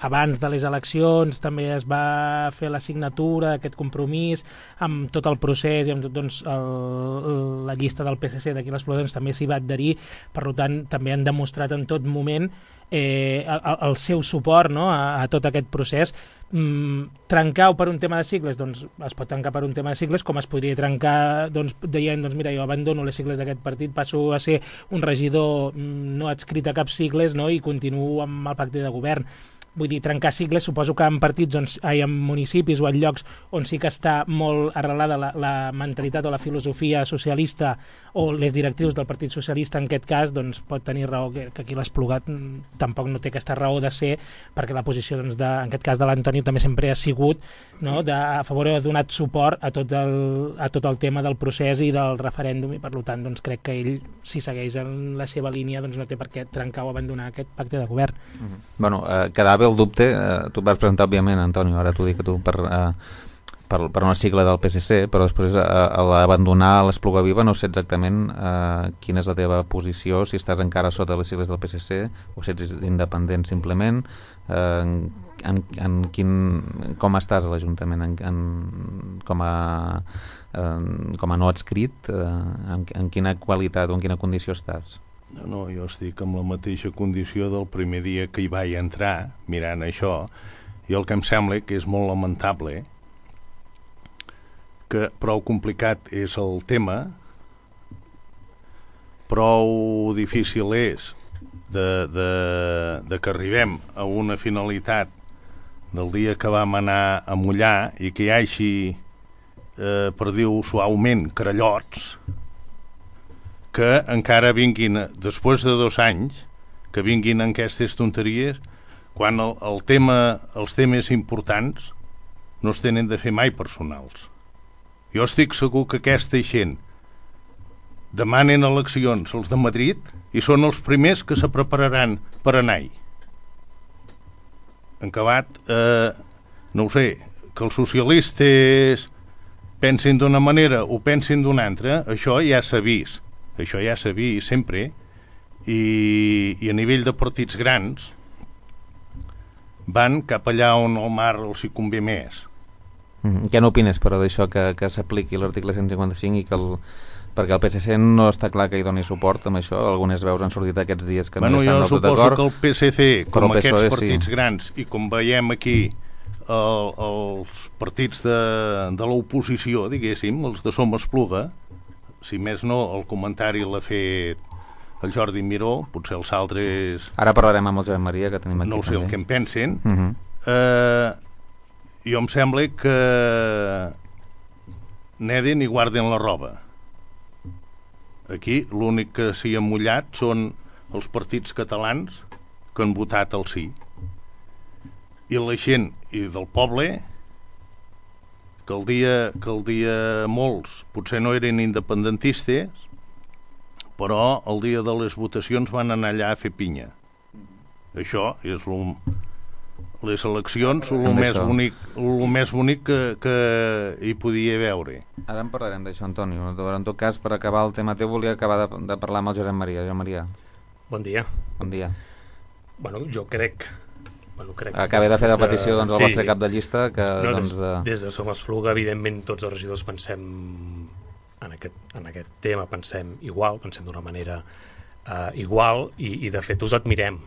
abans de les eleccions també es va fer la signatura d'aquest compromís amb tot el procés i amb tot, doncs, el, la llista del P S C d'aquí a l'Espluga, doncs, també s'hi va adherir. Per tant, també han demostrat en tot moment eh, el, el seu suport, no?, a, a tot aquest procés. Mm, trencar per un tema de sigles, doncs es pot trencar per un tema de sigles, com es podria trencar doncs, dient, doncs mira, jo abandono les sigles d'aquest partit, passo a ser un regidor mm, no adscrit a cap sigles, no?, i continuo amb el pacte de govern. vull dir, trencar sigles, suposo que en partits, on, ai, en municipis o en llocs on sí que està molt arrelada la, la mentalitat o la filosofia socialista o les directrius del Partit Socialista, en aquest cas, doncs pot tenir raó que, que aquí l'Esplugat tampoc no té aquesta raó de ser, perquè la posició, doncs, de, en aquest cas de l'Antonio també sempre ha sigut, no?, de, a favor ha donat suport a tot, el, a tot el tema del procés i del referèndum, i per tant doncs, crec que ell, si segueix en la seva línia, doncs no té per què trencar o abandonar aquest pacte de govern. Mm-hmm. Bueno, eh, quedava el dubte, eh, tu et vas presentar òbviament, Antonio, ara t'ho dic a tu, per, eh, per, per una sigla del P S C, però després eh, a l'abandonar l'Espluga Viva no sé exactament eh, quina és la teva posició, si estàs encara sota les sigles del P S C o si ets independent simplement, eh, en, en quin, com estàs a l'Ajuntament, en, en, com a eh, com a no adscrit, eh, en, en quina qualitat o en quina condició estàs? No, no, jo estic amb la mateixa condició del primer dia que hi vaig entrar, mirant això, i el que em sembla que és molt lamentable, que prou complicat és el tema, prou difícil és de, de, de que arribem a una finalitat del dia que vam anar a mullar i que hi hagi, eh, per dir-ho suaument, carallots, que encara vinguin, després de dos anys, que vinguin en aquestes tonteries, quan el, el tema, els temes importants no es tenen de fer mai personals. Jo estic segur que aquesta gent demanen eleccions els de Madrid i són els primers que se prepararan per anar-hi. En acabat, eh, no ho sé, que els socialistes pensin d'una manera o pensin d'una altra, això ja s'ha vist. Això ja s'ha vist sempre, i, i a nivell de partits grans van cap allà on el mar els hi convé més. Mm, què n'opines, però, d'això que, que s'apliqui l'article cent cinquanta-cinc i que el, perquè el P S C no està clar que hi doni suport amb això, algunes veus han sortit aquests dies que bueno, no estan del tot d'acord. Jo suposo que el P S C, com aquests P S O E, partits sí. grans, i com veiem aquí el, els partits de, de l'oposició, diguéssim, els de Som Espluga, si més no, el comentari l'ha fet el Jordi Miró, potser els altres... Ara parlarem amb el Josep Maria, que tenim aquí. No ho sé també. El que en pensen. Uh -huh. eh, jo em sembla que neden i guarden la roba. Aquí l'únic que s'hi ha mullat són els partits catalans que han votat el sí. I la gent i del poble... que el dia que el dia molts potser no eren independentistes, però el dia de les votacions van anar allà a fer pinya. Això és lo, les eleccions el més bonic, el més bonic que, que hi podia veure. Ara en parlarem d'això, Antonio. En tot cas, per acabar el tema teu, volia acabar de, de parlar amb el Josep Maria. Josep Maria. Bon dia. Bon dia. Bueno, jo crec... Bueno, crec Acabé de fer la petició doncs, al sí. vostre cap de llista que, no, doncs, des, de... des de Som Espluga, evidentment tots els regidors pensem en aquest, en aquest tema, pensem igual, pensem d'una manera uh, igual i, i de fet us admirem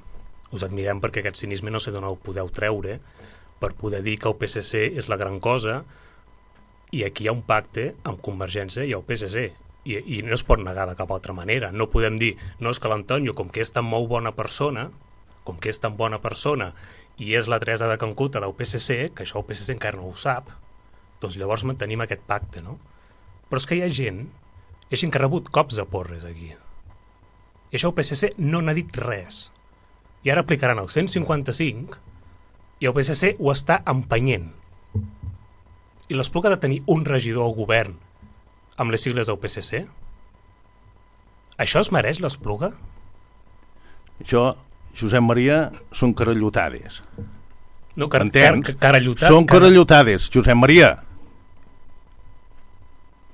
us admirem perquè aquest cinisme no sé d'on ho podeu treure per poder dir que el P S C és la gran cosa i aquí hi ha un pacte amb Convergència i el P S C i, i no es pot negar de cap altra manera. No podem dir, no és que l'Antonio, com que és tan molt bona persona com que és tan bona persona i és la Teresa de Cancuta del P S C, que això el P S C encara no ho sap, doncs llavors mantenim aquest pacte, no? Però és que hi ha gent, hi ha gent que ha rebut cops de porres aquí. I això el P S C no n'ha dit res. I ara aplicaran el cent cinquanta-cinc i el P S C ho està empenyent. I l'Espluga ha de tenir un regidor al govern amb les sigles del P S C? Això es mereix l'Espluga? Jo... Josep Maria, són carallotades. No, car car carallotades. Són carallotades, Josep Maria.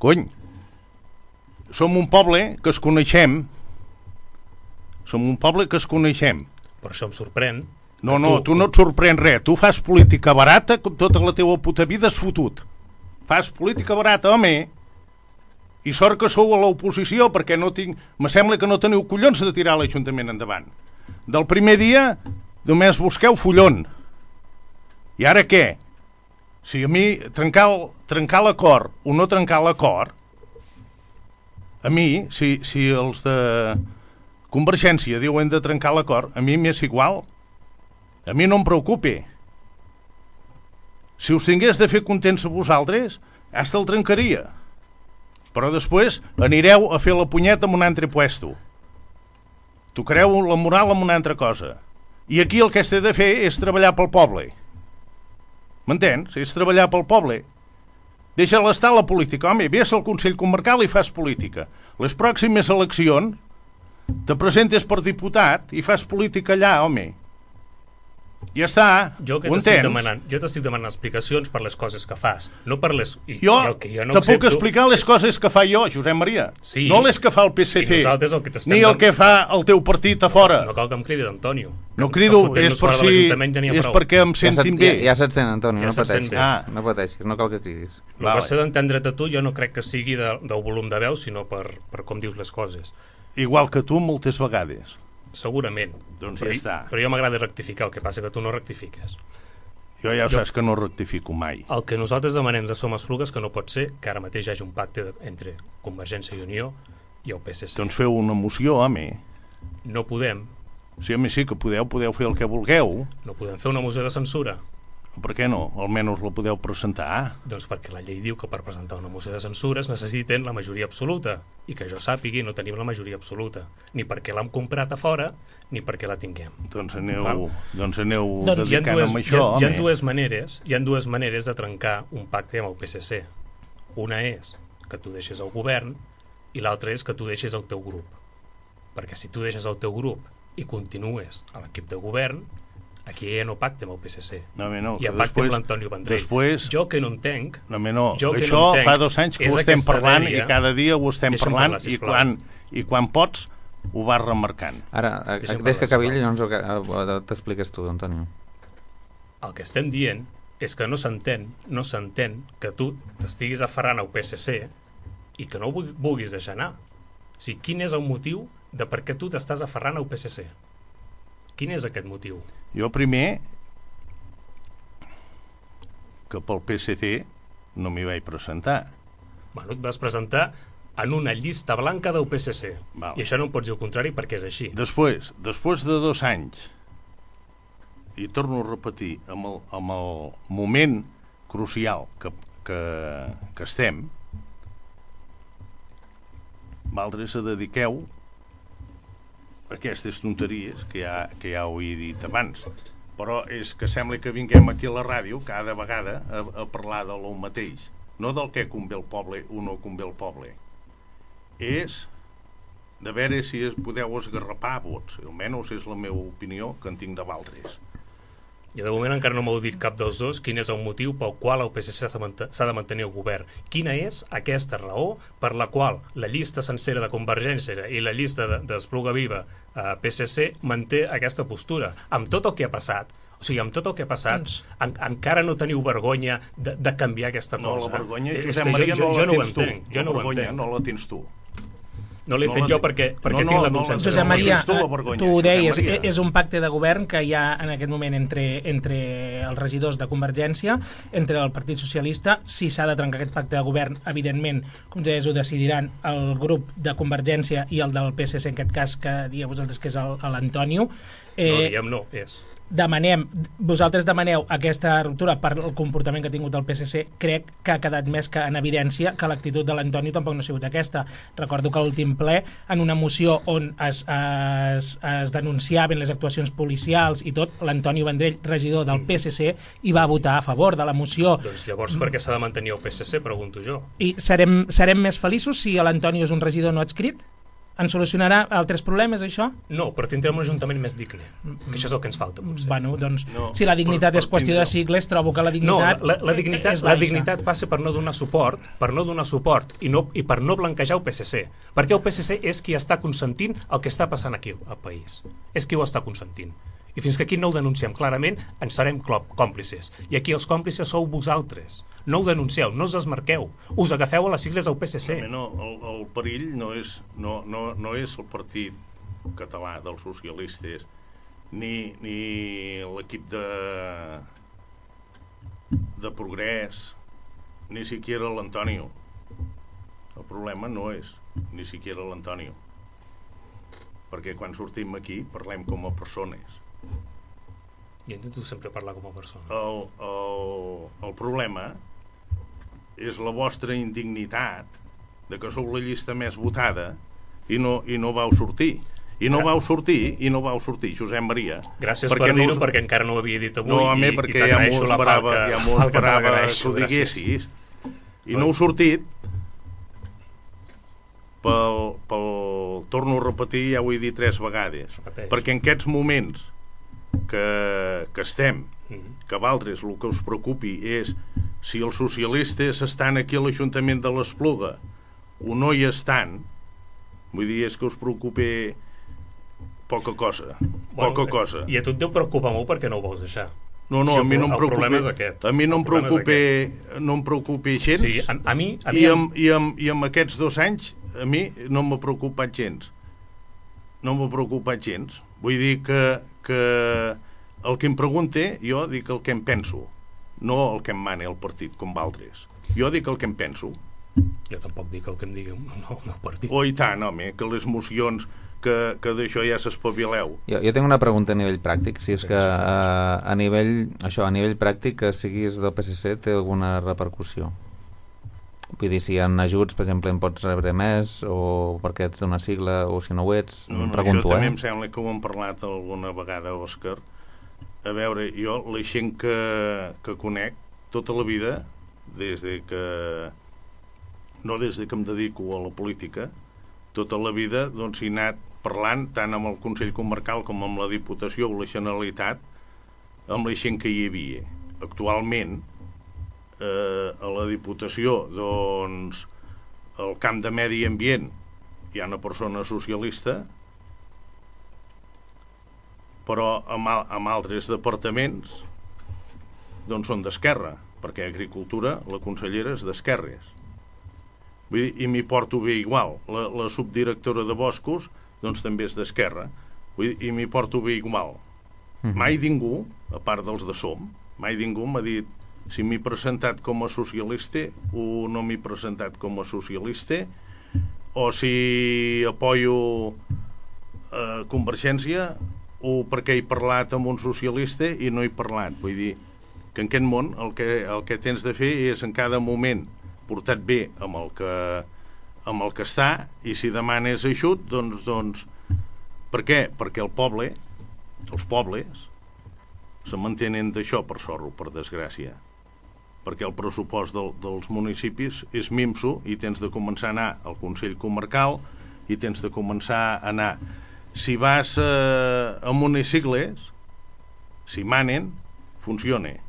Cony. Som un poble que es coneixem. Som un poble que es coneixem. Per això em sorprèn. No, no, tu, tu no et sorprèn res. Tu fas política barata com tota la teva puta vida has fotut. Fas política barata, home. I sort que sou a l'oposició perquè no tinc... Me sembla que no teniu collons de tirar l'Ajuntament endavant. Del primer dia només busqueu follon. I ara què? Si a mi trencar, trencar l'acord o no trencar l'acord, a mi, si, si els de Convergència diuen de trencar l'acord, a mi m'és igual. A mi no em preocupi. Si us tingués de fer contents a vosaltres, hasta el trencaria. Però després anireu a fer la punyeta en un altre puesto. Tocareu la moral en una altra cosa. I aquí el que has de fer és treballar pel poble. M'entens? És treballar pel poble. Deixa-la estar la política. Home, vés al Consell Comarcal i fas política. Les pròximes eleccions te presentes per diputat i fas política allà, home. Ja està, jo que ho t'estic entens? demanant, jo t'estic demanant explicacions per les coses que fas, no per les... I, jo jo, que jo no te puc accepto... explicar les coses que fa jo, Josep Maria. Sí. No les que fa el P S C, I nosaltres el que t'estem ni el dant- que fa el teu partit a fora. No cal que em cridis, Antonio. No crido, Que és fotent-nos per fora de si... l'Ajuntament ja n'hi ha És prou. perquè em sentin ja, bé. Ja, ja se't sent, Antoni, Ja no se't sent pateixis. bé. Ah. No pateixis, no cal que cridis. La qüestió d'entendre't a tu jo no crec que sigui de, del volum de veu, sinó per, per com dius les coses. Igual que tu moltes vegades. Segurament. Doncs però, ja està. Però jo m'agrada rectificar, el que passa que tu no rectifiques. Jo ja Jo- saps que no rectifico mai. El que nosaltres demanem de Som Esplugues que no pot ser que ara mateix hi hagi un pacte de, entre Convergència i Unió i el P S C. Doncs feu una moció, home. No podem, Sí, home, sí que podeu, podeu fer el que vulgueu. no podem fer una moció de censura. Per què no? Almenys la podeu presentar. Doncs perquè la llei diu que per presentar una moció de censura es necessiten la majoria absoluta, i que jo sàpigui no tenim la majoria absoluta, ni perquè l'hem comprat a fora ni perquè la tinguem. Doncs aneu, Val? doncs aneu Doncs hi ha dedicant dues, amb hi això, ha, hi ha home. dues maneres, hi ha dues maneres de trencar un pacte amb el P S C. Una és que tu deixes el govern i l'altra és que tu deixes el teu grup. Perquè si tu deixes el teu grup i continues a l'equip de govern, aquí ja no pacte amb el P S C. No, home, no, I que en pacte després- amb l'Antonio Vendrell. després- Jo que no entenc... No, home, no. Jo que Això no entenc fa dos anys que és ho estem aquesta parlant dèria- i cada dia ho estem Deixa'm parlant parlar, i, sisplau. quan, i quan pots ho vas remarcant. Ara, a- Deixa'm des que parlar, acabi, sisplau. llavors ho- t'expliques tu, Antonio. El que estem dient és que no s'entén, no s'entén que tu t'estiguis aferrant al P S C i que no ho vulgui- vulguis deixar anar. O sigui, quin és el motiu de per què tu t'estàs aferrant al P S C? Quin és aquest motiu? Jo primer que pel P S C no m'hi vaig presentar. Bueno, et vas presentar en una llista blanca del P S C. Val. I això no em pots dir el contrari perquè és així. Després, després de dos anys, i torno a repetir, amb el, amb el moment crucial que, que, que estem, vosaltres se dediqueu a aquestes tonteries que ja, que ja ho he dit abans. Però és que sembla que vinguem aquí a la ràdio cada vegada a, a parlar de lo mateix. No del que convé el poble o no convé el poble. És de veure si es podeu esgarrapar vots. Almenys és la meva opinió que en tinc de vosaltres. I de moment encara no m'heu dit cap dels dos quin és el motiu pel qual el P S C s'ha de mant- s'ha de mantenir al govern. Quina és aquesta raó per la qual la llista sencera de Convergència i la llista de- d'Espluga Viva eh, P S C manté aquesta postura? Amb tot el que ha passat, o sigui, amb tot el que ha passat, en, encara no teniu vergonya de, de canviar aquesta No, cosa? la vergonya, És Josep que Maria, jo, no jo, la jo no ho tens tu. entenc. Jo La no ho vergonya entenc. no la tens tu. No l'he No fet la jo tinc. perquè, perquè No, no, tinc la no la- consciència. Josep Maria, tens tu la vergonya, tu ho Josep deies, Maria. és un pacte de govern que hi ha en aquest moment entre, entre els regidors de Convergència, entre el Partit Socialista. Si s'ha de trencar aquest pacte de govern, evidentment, com deies, ho decidiran el grup de Convergència i el del P S C, en aquest cas, que dieu vosaltres que és el- l'Antonio. No, diguem no, és. Demanem, vosaltres demaneu aquesta ruptura per el comportament que ha tingut el P S C. Crec que ha quedat més que en evidència que l'actitud de l'Antonio tampoc no ha sigut aquesta. Recordo que a l'últim ple, en una moció on es, es, es denunciaven les actuacions policials i tot, l'Antonio Vendrell, regidor del P S C, hi va votar a favor de la moció. Doncs llavors per què s'ha de mantenir el P S C, pregunto jo. I serem, serem més feliços si l'Antonio és un regidor no adscrit? Ens solucionarà altres problemes, això? No, però tindrem un ajuntament més digne, que això és el que ens falta, potser. Bueno, doncs, No, si la dignitat per- per és qüestió de tindre- sigles, trobo que la No, dignitat la, la, dignitat, és la baixa. dignitat passa per no donar suport, per no donar suport i, no, i per no blanquejar el P S C. Perquè el P S C és qui està consentint el que està passant aquí al país. És qui ho està consentint. I fins que aquí no ho denunciem clarament, ens serem clop- còmplices. I aquí els còmplices sou vosaltres. No ho denuncieu, no us desmarqueu. Us agafeu a les sigles del P S C. No, el, el perill no és, no, no, no és el partit català dels socialistes ni, ni l'equip de de progrés ni siquiera l'Antonio. El problema no és ni siquiera l'Antonio, perquè quan sortim aquí parlem com a persones. Jo intento sempre parlar com a persona. El, el, el problema és la vostra indignitat de que sou la llista més votada i no, i no vau sortir. I no vau sortir, i no vau sortir, Josep Maria. Gràcies per dir-ho, no us... perquè encara no ho havia dit avui. No, a mi, i, perquè i ja m'ho esperava, ja m'ho esperava que ho diguessis. I no heu sortit pel, pel... Torno a repetir, ja ho he dit tres vegades. Repeteix. Perquè en aquests moments que, que estem, mm-hmm. que vosaltres el que us preocupi és si els socialistes estan aquí a l'Ajuntament de l'Espluga o no hi estan, vull dir, és que us preocupi poca cosa, poca bueno, cosa. I a tu et deu preocupar molt perquè no ho vols deixar. No, no, si a mi no em preocupa. A mi no em preocupa, no em preocupa gens. Sí, a, a mi, a mi i, amb, i, amb, i amb aquests dos anys a mi no m'ha preocupat gens. No m'ha preocupat gens. Vull dir que, que el que em pregunte, jo dic el que em penso, no el que em mani el partit, com d'altres. Jo dic el que em penso. Jo tampoc dic el que em digui no, el meu partit. Oh, i tant, home, que les mocions que, que d'això ja s'espavileu. Jo, jo tinc una pregunta a nivell pràctic, si és que a, a nivell això, a nivell pràctic que siguis del P S C té alguna repercussió. Vull dir, si hi ha ajuts, per exemple, en pots rebre més, o perquè ets d'una sigla, o si no ho ets, no, no, em pregunto, això eh? també em sembla que ho hem parlat alguna vegada, Òscar. A veure, jo, la gent que, que conec tota la vida, des de que no des de que em dedico a la política, tota la vida doncs he anat parlant tant amb el Consell Comarcal com amb la Diputació o la Generalitat amb la gent que hi havia. Actualment eh, a la Diputació doncs al camp de Medi Ambient hi ha una persona socialista, però amb, amb altres departaments doncs són d'esquerra, perquè Agricultura la consellera és d'esquerres. Vull dir, i m'hi porto bé igual. La, la subdirectora de Boscos doncs també és d'esquerra. Vull dir, i m'hi porto bé igual. Mm-hmm. Mai ningú, a part dels de Som, mai ningú m'ha dit si m'he presentat com a socialista o no m'he presentat com a socialista, o si apoyo eh, Convergència, o perquè he parlat amb un socialista i no he parlat. Vull dir que en aquest món el que, el que tens de fer és en cada moment portat bé amb el que, amb el que està, i si demanes ajut, doncs, doncs per què? Perquè el poble, els pobles, se mantenen d'això per sorro, per desgràcia. Perquè el pressupost del, dels municipis és minso i tens de començar a anar al Consell Comarcal i tens de començar a anar. Si vas eh, a municiples, si manen, funciona.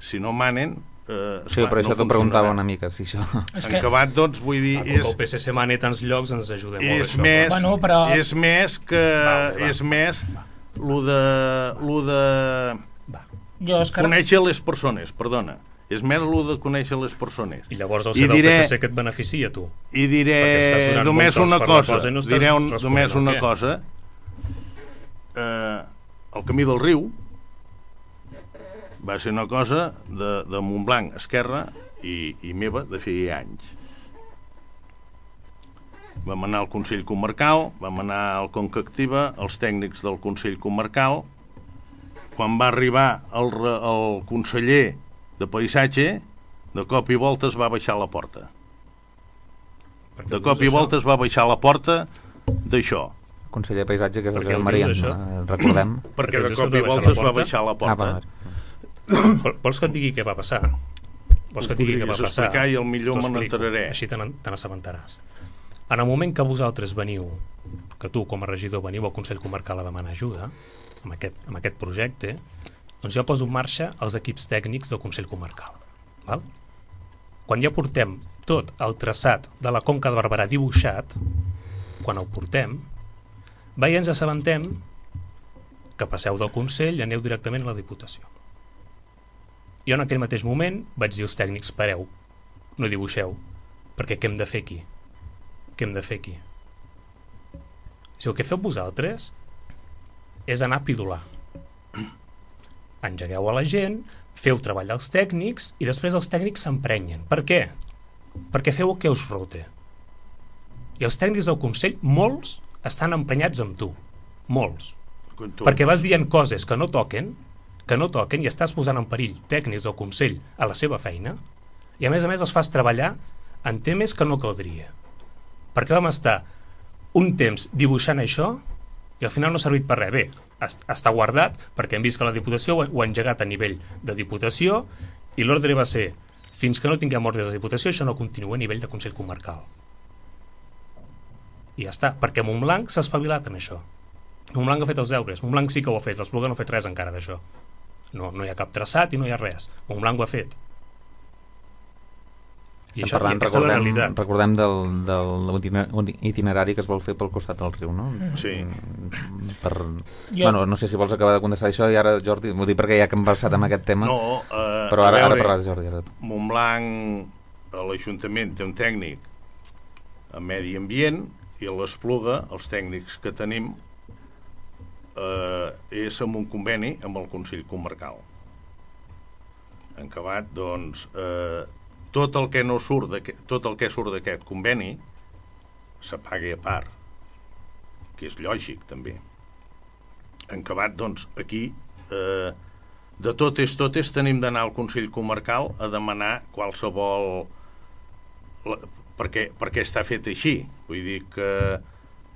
Si no manen, Eh, sí, però no això t'ho preguntava una mica, si això... En que... acabat, doncs, vull dir... Ah, és... el P S C mani tants llocs ens ajuda molt és això. Més, bueno, però... És més que... Va, va, és més lo de... Lo de... Va. Jo, Òscar... Conèixer les persones, perdona. És més lo de conèixer les persones. I llavors el ser del diré... P S C que et beneficia, tu. I diré només una cosa. No diré un, només una cosa. Eh, el camí del riu va ser una cosa de, de Montblanc, Esquerra, i, i meva de feia anys. Vam anar al Consell Comarcal, vam anar al Conca Activa, els tècnics del Consell Comarcal. Quan va arribar el, el conseller de Paisatge, de cop i volta es va baixar la porta. De cop i volta es va baixar la porta d'això. Conseller de Paisatge, que és el Josep Maria, recordem. Perquè de cop i volta es va baixar la porta. Ah, vols que et digui què va passar? Vols que et digui què va passar? I el millor me n'enteraré. Així te n'assabentaràs. En el moment que vosaltres veniu, que tu com a regidor veniu al Consell Comarcal a demanar ajuda amb aquest, amb aquest projecte, doncs jo poso en marxa els equips tècnics del Consell Comarcal. Val? Quan ja portem tot el traçat de la Conca de Barberà dibuixat, quan el portem, va i ens assabentem que passeu del Consell i aneu directament a la Diputació. Jo en aquell mateix moment vaig dir als tècnics, pareu, no dibuixeu, perquè què hem de fer aquí? Què hem de fer aquí? Si el que feu vosaltres és anar a pidolar. Engegueu a la gent, feu treballar els tècnics i després els tècnics s'emprenyen. Per què? Perquè feu el que us rote. I els tècnics del Consell, molts, estan emprenyats amb tu. Molts. perquè vas dient coses que no toquen, que no toquen i estàs posant en perill tècnics del Consell a la seva feina, i a més a més els fas treballar en temes que no caldria. Perquè vam estar un temps dibuixant això i al final no ha servit per res. Bé, està guardat perquè hem vist que la Diputació ho ha engegat a nivell de Diputació i l'ordre va ser fins que no tinguem ordres de Diputació això no continua a nivell de Consell Comarcal. I ja està, perquè Montblanc s'ha espavilat en això. Montblanc ha fet els deures, Montblanc sí que ho ha fet, l'Espluga no ha fet res encara d'això. No, no hi ha cap traçat i no hi ha res. Montblanc ho ha fet. I això, parlant, i aquesta és la recordem, realitat. recordem del, del itinerari que es vol fer pel costat del riu, no? Sí. Per... Jo... Bueno, no sé si vols acabar de contestar això i ara, Jordi, m'ho dic perquè ja que hem versat amb aquest tema, no, eh, però ara, veure, ara parlaràs, Jordi. Ara. Montblanc, a l'Ajuntament té un tècnic a Medi Ambient i a l'Espluga, els tècnics que tenim, eh, és amb un conveni amb el Consell Comarcal. En acabat, doncs, eh, tot el que no surt tot el que surt d'aquest conveni s'apaga a part, que és lògic també. En acabat, doncs, aquí eh, de totes totes tenim d'anar al Consell Comarcal a demanar qualsevol la, perquè, perquè està fet així, vull dir que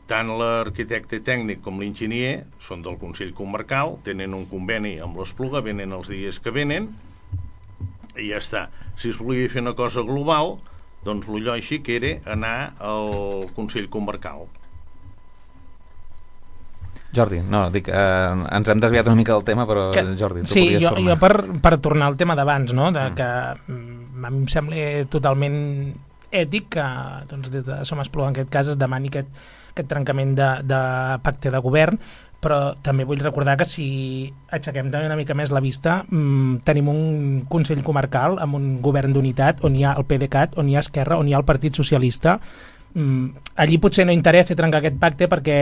tant l'arquitecte tècnic com l'enginyer són del Consell Comarcal, tenen un conveni amb l'Espluga, venen els dies que venen i ja està. Si es volia fer una cosa global, doncs el lògic era anar al Consell Comarcal. Jordi, no, dic, eh, ens hem desviat una mica del tema, però que, Jordi, tu sí, podries jo, tornar. Jo per, per tornar al tema d'abans, no? de, que mm, a mi em sembla totalment ètic que doncs, des de Som Espluga en aquest cas es demani aquest, aquest trencament de, de pacte de govern, però també vull recordar que si aixequem també una mica més la vista, mmm, tenim un Consell Comarcal amb un govern d'unitat on hi ha el PDeCAT, on hi ha Esquerra, on hi ha el Partit Socialista. Mm, allí potser no interessa trencar aquest pacte perquè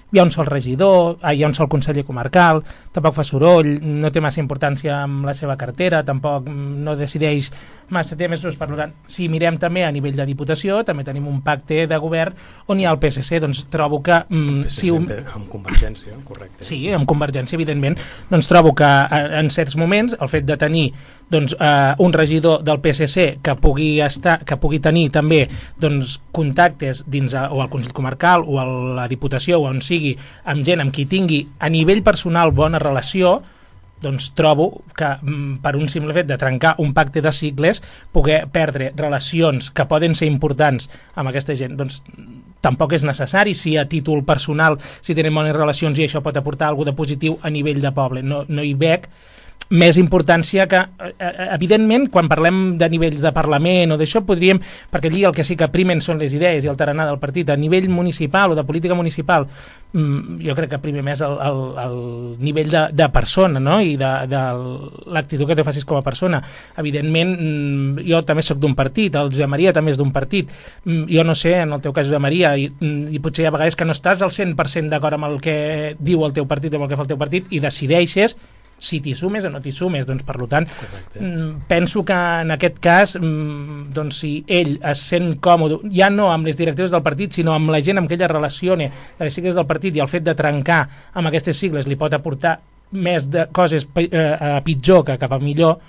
hi ha un sol regidor, hi ha un sol conseller comarcal, tampoc fa soroll, no té massa importància amb la seva cartera, tampoc no decideix massa temes, doncs, per tant, si mirem també a nivell de Diputació, també tenim un pacte de govern on hi ha el P S C, doncs trobo que... Mm, P S C si un... amb Convergència, correcte. Sí, amb Convergència, evidentment, doncs trobo que en certs moments el fet de tenir doncs, eh, un regidor del P S C que pugui, estar, que pugui tenir també doncs, contactes dins a, o al Consell Comarcal o a la Diputació o on sigui, amb gent amb qui tingui a nivell personal bona relació, doncs trobo que mm, per un simple fet de trencar un pacte de sigles, poder perdre relacions que poden ser importants amb aquesta gent, doncs tampoc és necessari si a títol personal, si tenen bones relacions i això pot aportar alguna de positiu a nivell de poble. No, no hi veig més importància que, evidentment, quan parlem de nivells de Parlament o d'això, podríem, perquè allí el que sí que primen són les idees i el tarannà del partit, a nivell municipal o de política municipal, jo crec que primer més el, el, el nivell de, de persona, no? I de, de l'actitud que te facis com a persona. Evidentment, jo també sóc d'un partit, el Josep Maria també és d'un partit, jo no sé, en el teu cas, Josep Maria, i, i potser hi ha vegades que no estàs al cent per cent d'acord amb el que diu el teu partit o amb el que fa el teu partit i decideixes si t'hi sumes o no t'hi sumes, doncs per tant correcte. Penso que en aquest cas doncs si ell es sent còmode, ja no amb les directives del partit sinó amb la gent amb què ella relaciona de les sigles del partit i el fet de trencar amb aquestes sigles li pot aportar més de coses eh, pitjor que cap a millor,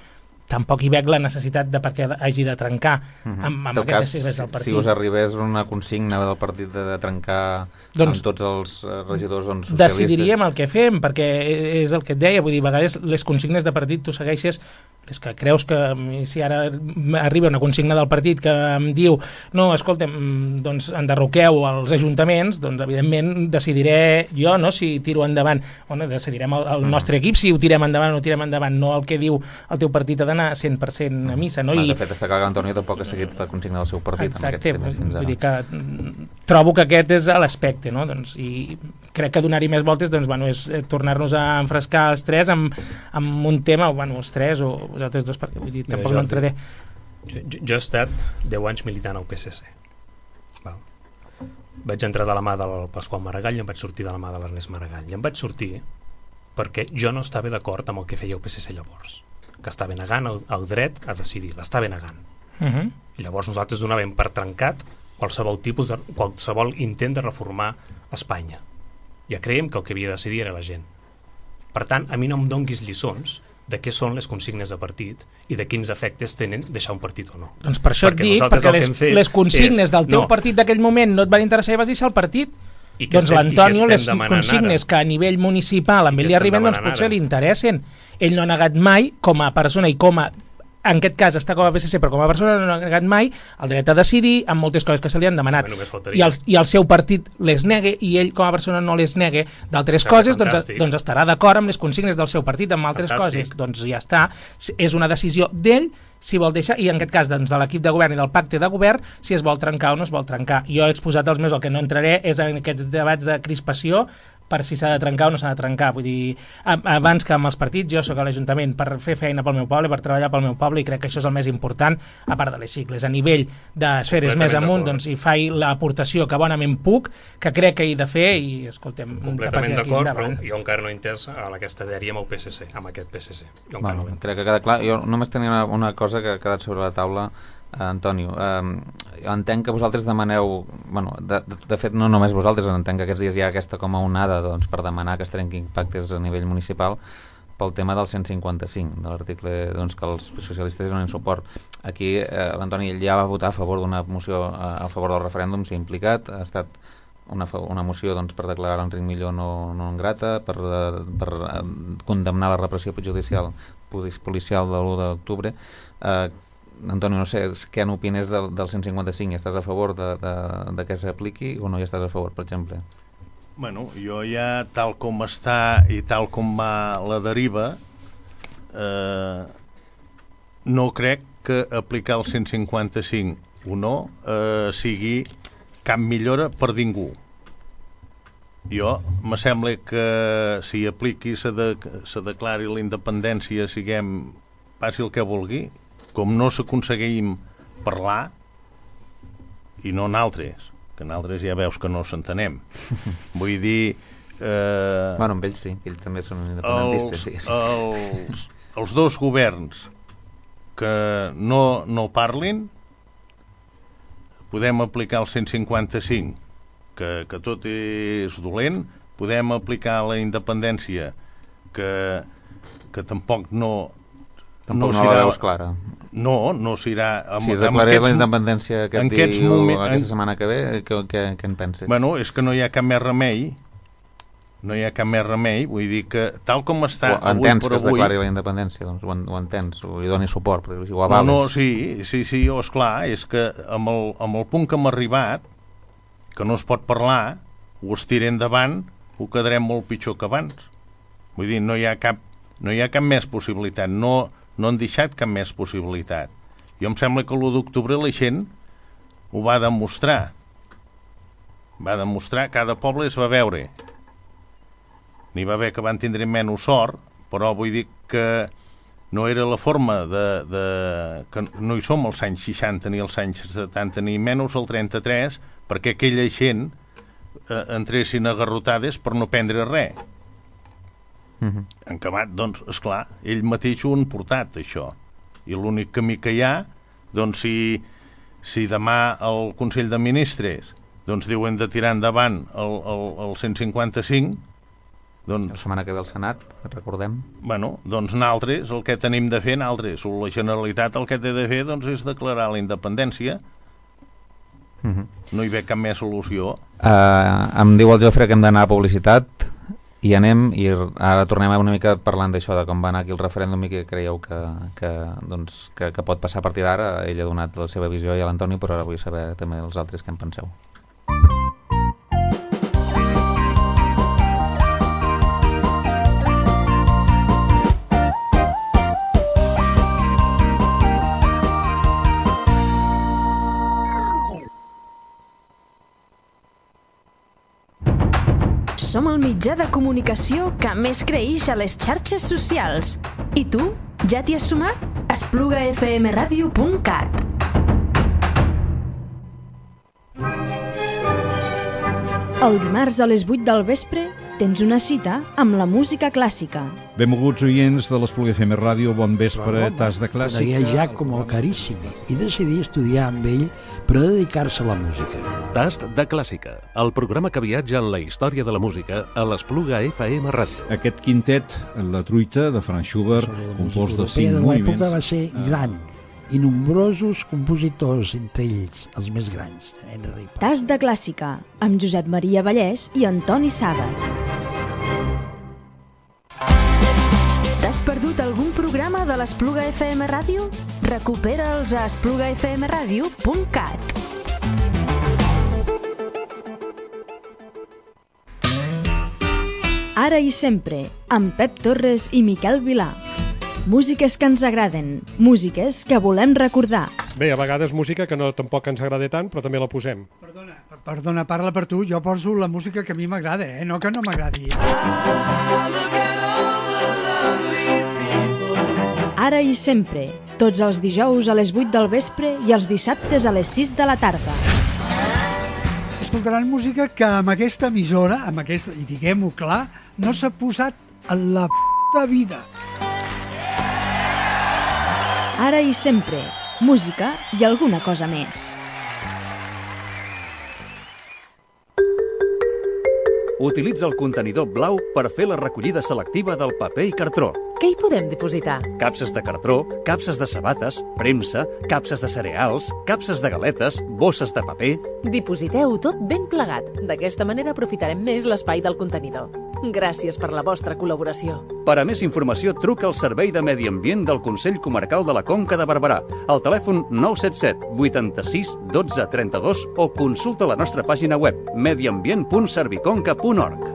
tampoc hi veig la necessitat de per què hagi de trencar amb, amb aquestes cas, sigles del partit. Si us arribés una consigna del partit de, de trencar doncs, amb tots els regidors doncs, socialistes... Decidiríem el que fem, perquè és el que et deia, vull dir, a vegades les consignes de partit tu segueixes, és que creus que si ara arriba una consigna del partit que em diu, no, escolta'm, doncs enderroqueu els ajuntaments, doncs evidentment decidiré jo, no, si tiro endavant, bueno, decidirem el, el nostre equip si ho tirem endavant o no tirem endavant, no el que diu el teu partit ha d'anar cent per cent a missa, no? Clar, I... de fet, està clar que l'Antonio tampoc ha seguit la consigna del seu partit. Exacte, amb aquests temes vull dir que trobo que aquest és l'aspecte, no? Doncs, i crec que donar-hi més voltes doncs, bueno, és tornar-nos a enfrescar els tres amb, amb un tema, bueno, els tres o els altres dos, perquè vull dir, tampoc no entraré. Jo, jo he estat deu anys militant al P S C. Val. Vaig entrar de la mà del Pasqual Maragall i em vaig sortir de la mà de l'Ernest Maragall. I em vaig sortir perquè jo no estava d'acord amb el que feia el P S C llavors, que estava negant el, el dret a decidir, l'estava negant. Uh -huh. I llavors nosaltres donàvem per trencat qualsevol tipus de, qualsevol intent de reformar Espanya. Ja creiem que el que havia de decidir era la gent. Per tant, a mi no em donguis lliçons de què són les consignes de partit i de quins efectes tenen deixar un partit o no. Doncs per això et dic, perquè les, les consignes és, del teu no. partit d'aquell moment no et van interessar i vas deixar el partit. I doncs l'Antonio, les consignes ara? Que a nivell municipal amb ell li arriben, doncs potser ara? Li interessen. Ell no ha negat mai, com a persona i com a en aquest cas està com a P S C, però com a persona no ha negat mai el dret a decidir amb moltes coses que se li han demanat. I el, i el seu partit les negue i ell com a persona no les negue d'altres coses, doncs, doncs estarà d'acord amb les consignes del seu partit, amb altres Fantàstic. Coses. Doncs ja està. És una decisió d'ell si vol deixar, i en aquest cas doncs, de l'equip de govern i del pacte de govern, si es vol trencar o no es vol trencar. Jo he exposat els meus, el que no entraré és en aquests debats de crispació per si s'ha de trencar o no s'ha de trencar. Vull dir, abans que amb els partits, jo sóc a l'Ajuntament per fer feina pel meu poble, per treballar pel meu poble, i crec que això és el més important, a part de les sigles. A nivell d'esferes més amunt, doncs hi faig l'aportació que bonament puc, que crec que he de fer, i escoltem... Completament d'acord, però jo encara no he entès aquesta dèria amb el P S C, amb aquest P S C. Jo encara bueno, no crec que queda clar. Jo només tenia una, una cosa que ha quedat sobre la taula, Uh, Antonio, uh, entenc que vosaltres demaneu, bueno, de, de, de fet no només vosaltres, entenc que aquests dies hi ha aquesta com a onada doncs, per demanar que es trenquin pactes a nivell municipal pel tema del cent cinquanta-cinc, de l'article doncs, que els socialistes donen suport. Aquí uh, l'Antoni ja va votar a favor d'una moció uh, a favor del referèndum, s'ha implicat, ha estat una, una moció doncs, per declarar l'Enric Millo no, no en grata, per, uh, per uh, condemnar la repressió judicial policial de l'u d'octubre. Uh, Antoni, no sé, què n'opines del, del cent cinquanta-cinc? Estàs a favor de, de, de que s'apliqui o no hi estàs a favor, per exemple? Bueno, jo ja, tal com està i tal com va la deriva, eh, no crec que aplicar el cent cinquanta-cinc o no eh, sigui cap millora per ningú. Jo, me sembla que si apliqui se, de, se declari la independència, siguem, passi el que vulgui, com no s'aconseguim parlar, i no naltres, que naltres ja veus que no s'entenem. Vull dir... Eh, bueno, amb ells sí, que ells també són independentistes. Els, els, els dos governs que no, no parlin, podem aplicar el cent cinquanta-cinc, que, que tot és dolent, podem aplicar la independència, que, que tampoc no... Tampoc no, no la veus clara. No, no s'irà... Si es declarés la independència aquest dia o aquesta setmana que ve, què, què, què en penses? Bueno, és que no hi ha cap més remei, no hi ha cap més remei, vull dir que tal com està o avui per avui... Entens que es declari la independència, doncs ho, ho entens, o hi doni suport, però ho avales. No, no, sí, sí, sí, oh, esclar, és que amb el, amb el punt que hem arribat, que no es pot parlar, ho estirem endavant, ho quedarem molt pitjor que abans. Vull dir, no hi ha cap, no hi ha cap més possibilitat, no... no han deixat cap més possibilitat. Jo em sembla que l'u d'octubre la gent ho va demostrar. Va demostrar, cada poble es va veure. N'hi va haver que van tindre menys sort, però vull dir que no era la forma de... de que no hi som als anys seixanta ni als anys setanta, ni menys al trenta-tres, perquè aquella gent eh, entressin agarrotades per no prendre res. Uh-huh. En acabat, doncs, esclar, ell mateix ho han portat, això. I l'únic camí que hi ha, doncs, si, si demà el Consell de Ministres doncs diuen de tirar endavant el, el, el cent cinquanta-cinc, doncs... La setmana que ve al Senat, recordem. Bueno, doncs nosaltres, el que tenim de fer, nosaltres, o la Generalitat el que té de fer, doncs, és declarar la independència. Uh-huh. No hi ve cap més solució. Uh, em diu el Jofre que hem d'anar a publicitat, i anem, i ara tornem una mica parlant d'això, de com va anar aquí el referèndum i què creieu que, que, doncs, que, que pot passar a partir d'ara. Ell ha donat la seva visió i a l'Antoni, però ara vull saber també els altres què en penseu. Som el mitjà de comunicació que més creix a les xarxes socials. I tu? Ja t'hi has sumat? espluga f m radio punt cat. El dimarts a les vuit del vespre, tens una cita amb la música clàssica. Benvolguts oients de l'Espluga F M Ràdio, bon vespre, tas de clàssica. Conegué Giacomo Carissimi i decidí estudiar amb ell per dedicar-se a la música. Tast de clàssica, el programa que viatja en la història de la música a l'Espluga F M Ràdio. Aquest quintet, La truita, de Franz Schubert, compost de cinc moviments. L'època va ser Ah. gran i nombrosos compositors, entre ells els més grans. Henry Paz. Tas de clàssica, amb Josep Maria Vallès i Antoni Sala. T'has perdut algun programa de l'Espluga F M Ràdio? Recupera'ls a espluga f m ràdio punt cat. Ara i sempre, amb Pep Torres i Miquel Vilà. Músiques que ens agraden, músiques que volem recordar. Bé, a vegades música que no tampoc ens agrada tant, però també la posem. Perdona, perdona, parla per tu, jo poso la música que a mi m'agrada, eh? No que no m'agradi. Ara i sempre, tots els dijous a les vuit del vespre i els dissabtes a les sis de la tarda. Escoltaran música que amb aquesta emissora, amb aquesta, i diguem-ho clar, no s'ha posat en la p*** vida. Ara i sempre, música i alguna cosa més. Utilitza el contenidor blau per fer la recollida selectiva del paper i cartró. Què hi podem dipositar? Capses de cartró, capses de sabates, premsa, capses de cereals, capses de galetes, bosses de paper... Dipositeu tot ben plegat. D'aquesta manera aprofitarem més l'espai del contenidor. Gràcies per la vostra col·laboració. Per a més informació, truca al Servei de Medi Ambient del Consell Comarcal de la Conca de Barberà, al telèfon nou set set vuitanta-sis dotze trenta-dos o consulta la nostra pàgina web mediambient punt serviconca punt org.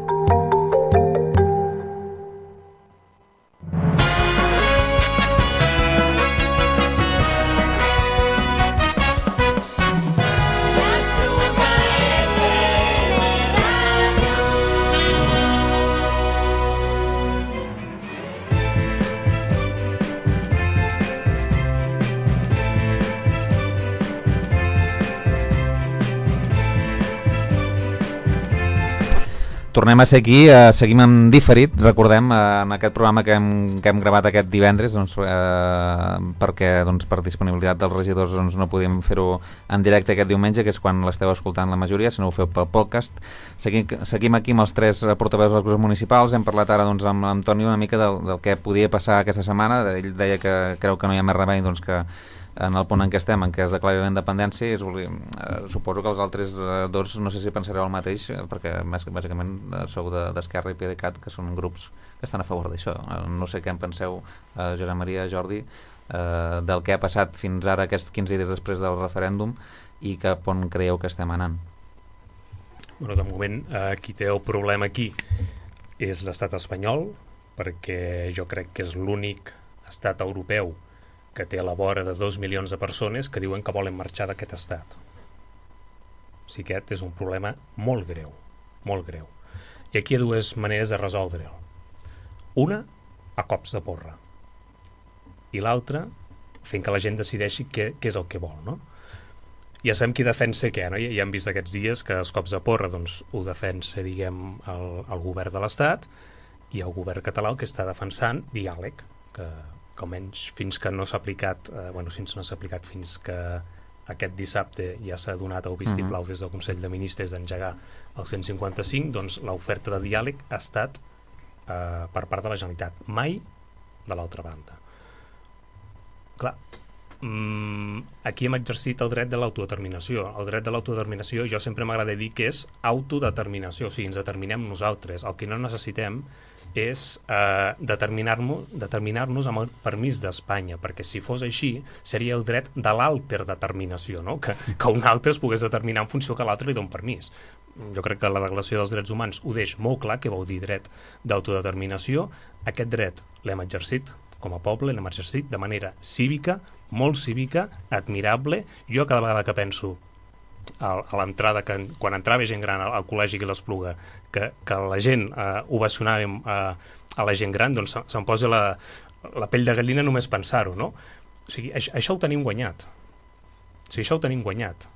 Tornem a ser aquí, eh, seguim en diferit, recordem, eh, en aquest programa que hem, que hem gravat aquest divendres, doncs, eh, perquè doncs, per disponibilitat dels regidors doncs, no podíem fer-ho en directe aquest diumenge, que és quan l'esteu escoltant la majoria, si no ho feu pel podcast. Seguim, seguim aquí amb els tres portaveus dels grups municipals, hem parlat ara doncs, amb l'Antoni una mica del, del que podia passar aquesta setmana, ell deia que creu que no hi ha més remei, doncs que en el punt en què estem, en què es declari la independència, és, eh, suposo que els altres eh, dos no sé si pensareu el mateix, eh, perquè més, bàsicament eh, sou d'Esquerra de, i PDeCAT, que són grups que estan a favor d'això. Eh, no sé què en penseu, eh, Josep Maria, Jordi, eh, del que ha passat fins ara aquests quinze dies després del referèndum i cap on creieu que estem anant. Bueno, de moment, eh, qui té el problema aquí és l'estat espanyol, perquè jo crec que és l'únic estat europeu que té a la vora de dos milions de persones que diuen que volen marxar d'aquest estat. O sigui, aquest és un problema molt greu, molt greu. I aquí hi ha dues maneres de resoldre'l. Una, a cops de porra. I l'altra, fent que la gent decideixi què, què és el que vol, no? Ja sabem qui defensa què, no? Ja hem vist aquests dies que els cops de porra doncs, ho defensa, diguem, el, el govern de l'Estat i el govern català el que està defensant diàleg, que que almenys fins que no s'ha aplicat, eh, bueno, fins no s'ha aplicat fins que aquest dissabte ja s'ha donat el vistiplau des del Consell de Ministres d'engegar el cent cinquanta-cinc, doncs l'oferta de diàleg ha estat eh, per part de la Generalitat, mai de l'altra banda. Clar, mm, aquí hem exercit el dret de l'autodeterminació. El dret de l'autodeterminació jo sempre m'agrada dir que és autodeterminació, o sigui, ens determinem nosaltres. El que no necessitem és eh, determinar-nos determinar-nos amb el permís d'Espanya, perquè si fos així seria el dret de l'alterdeterminació, no? que, que un altre es pogués determinar en funció que l'altre li doni permís. Jo crec que la Declaració dels Drets Humans ho deix molt clar, que vol dir dret d'autodeterminació. Aquest dret l'hem exercit com a poble, l'hem exercit de manera cívica, molt cívica, admirable. Jo cada vegada que penso a, a l'entrada, que quan entrava gent gran al, al col·legi que l'Espluga, que, que la gent eh, ovacionàvem eh, a la gent gran, doncs se, se'm posa la, la pell de gallina només pensar-ho, no? O sigui, això, això ho tenim guanyat. O sigui, això ho tenim guanyat.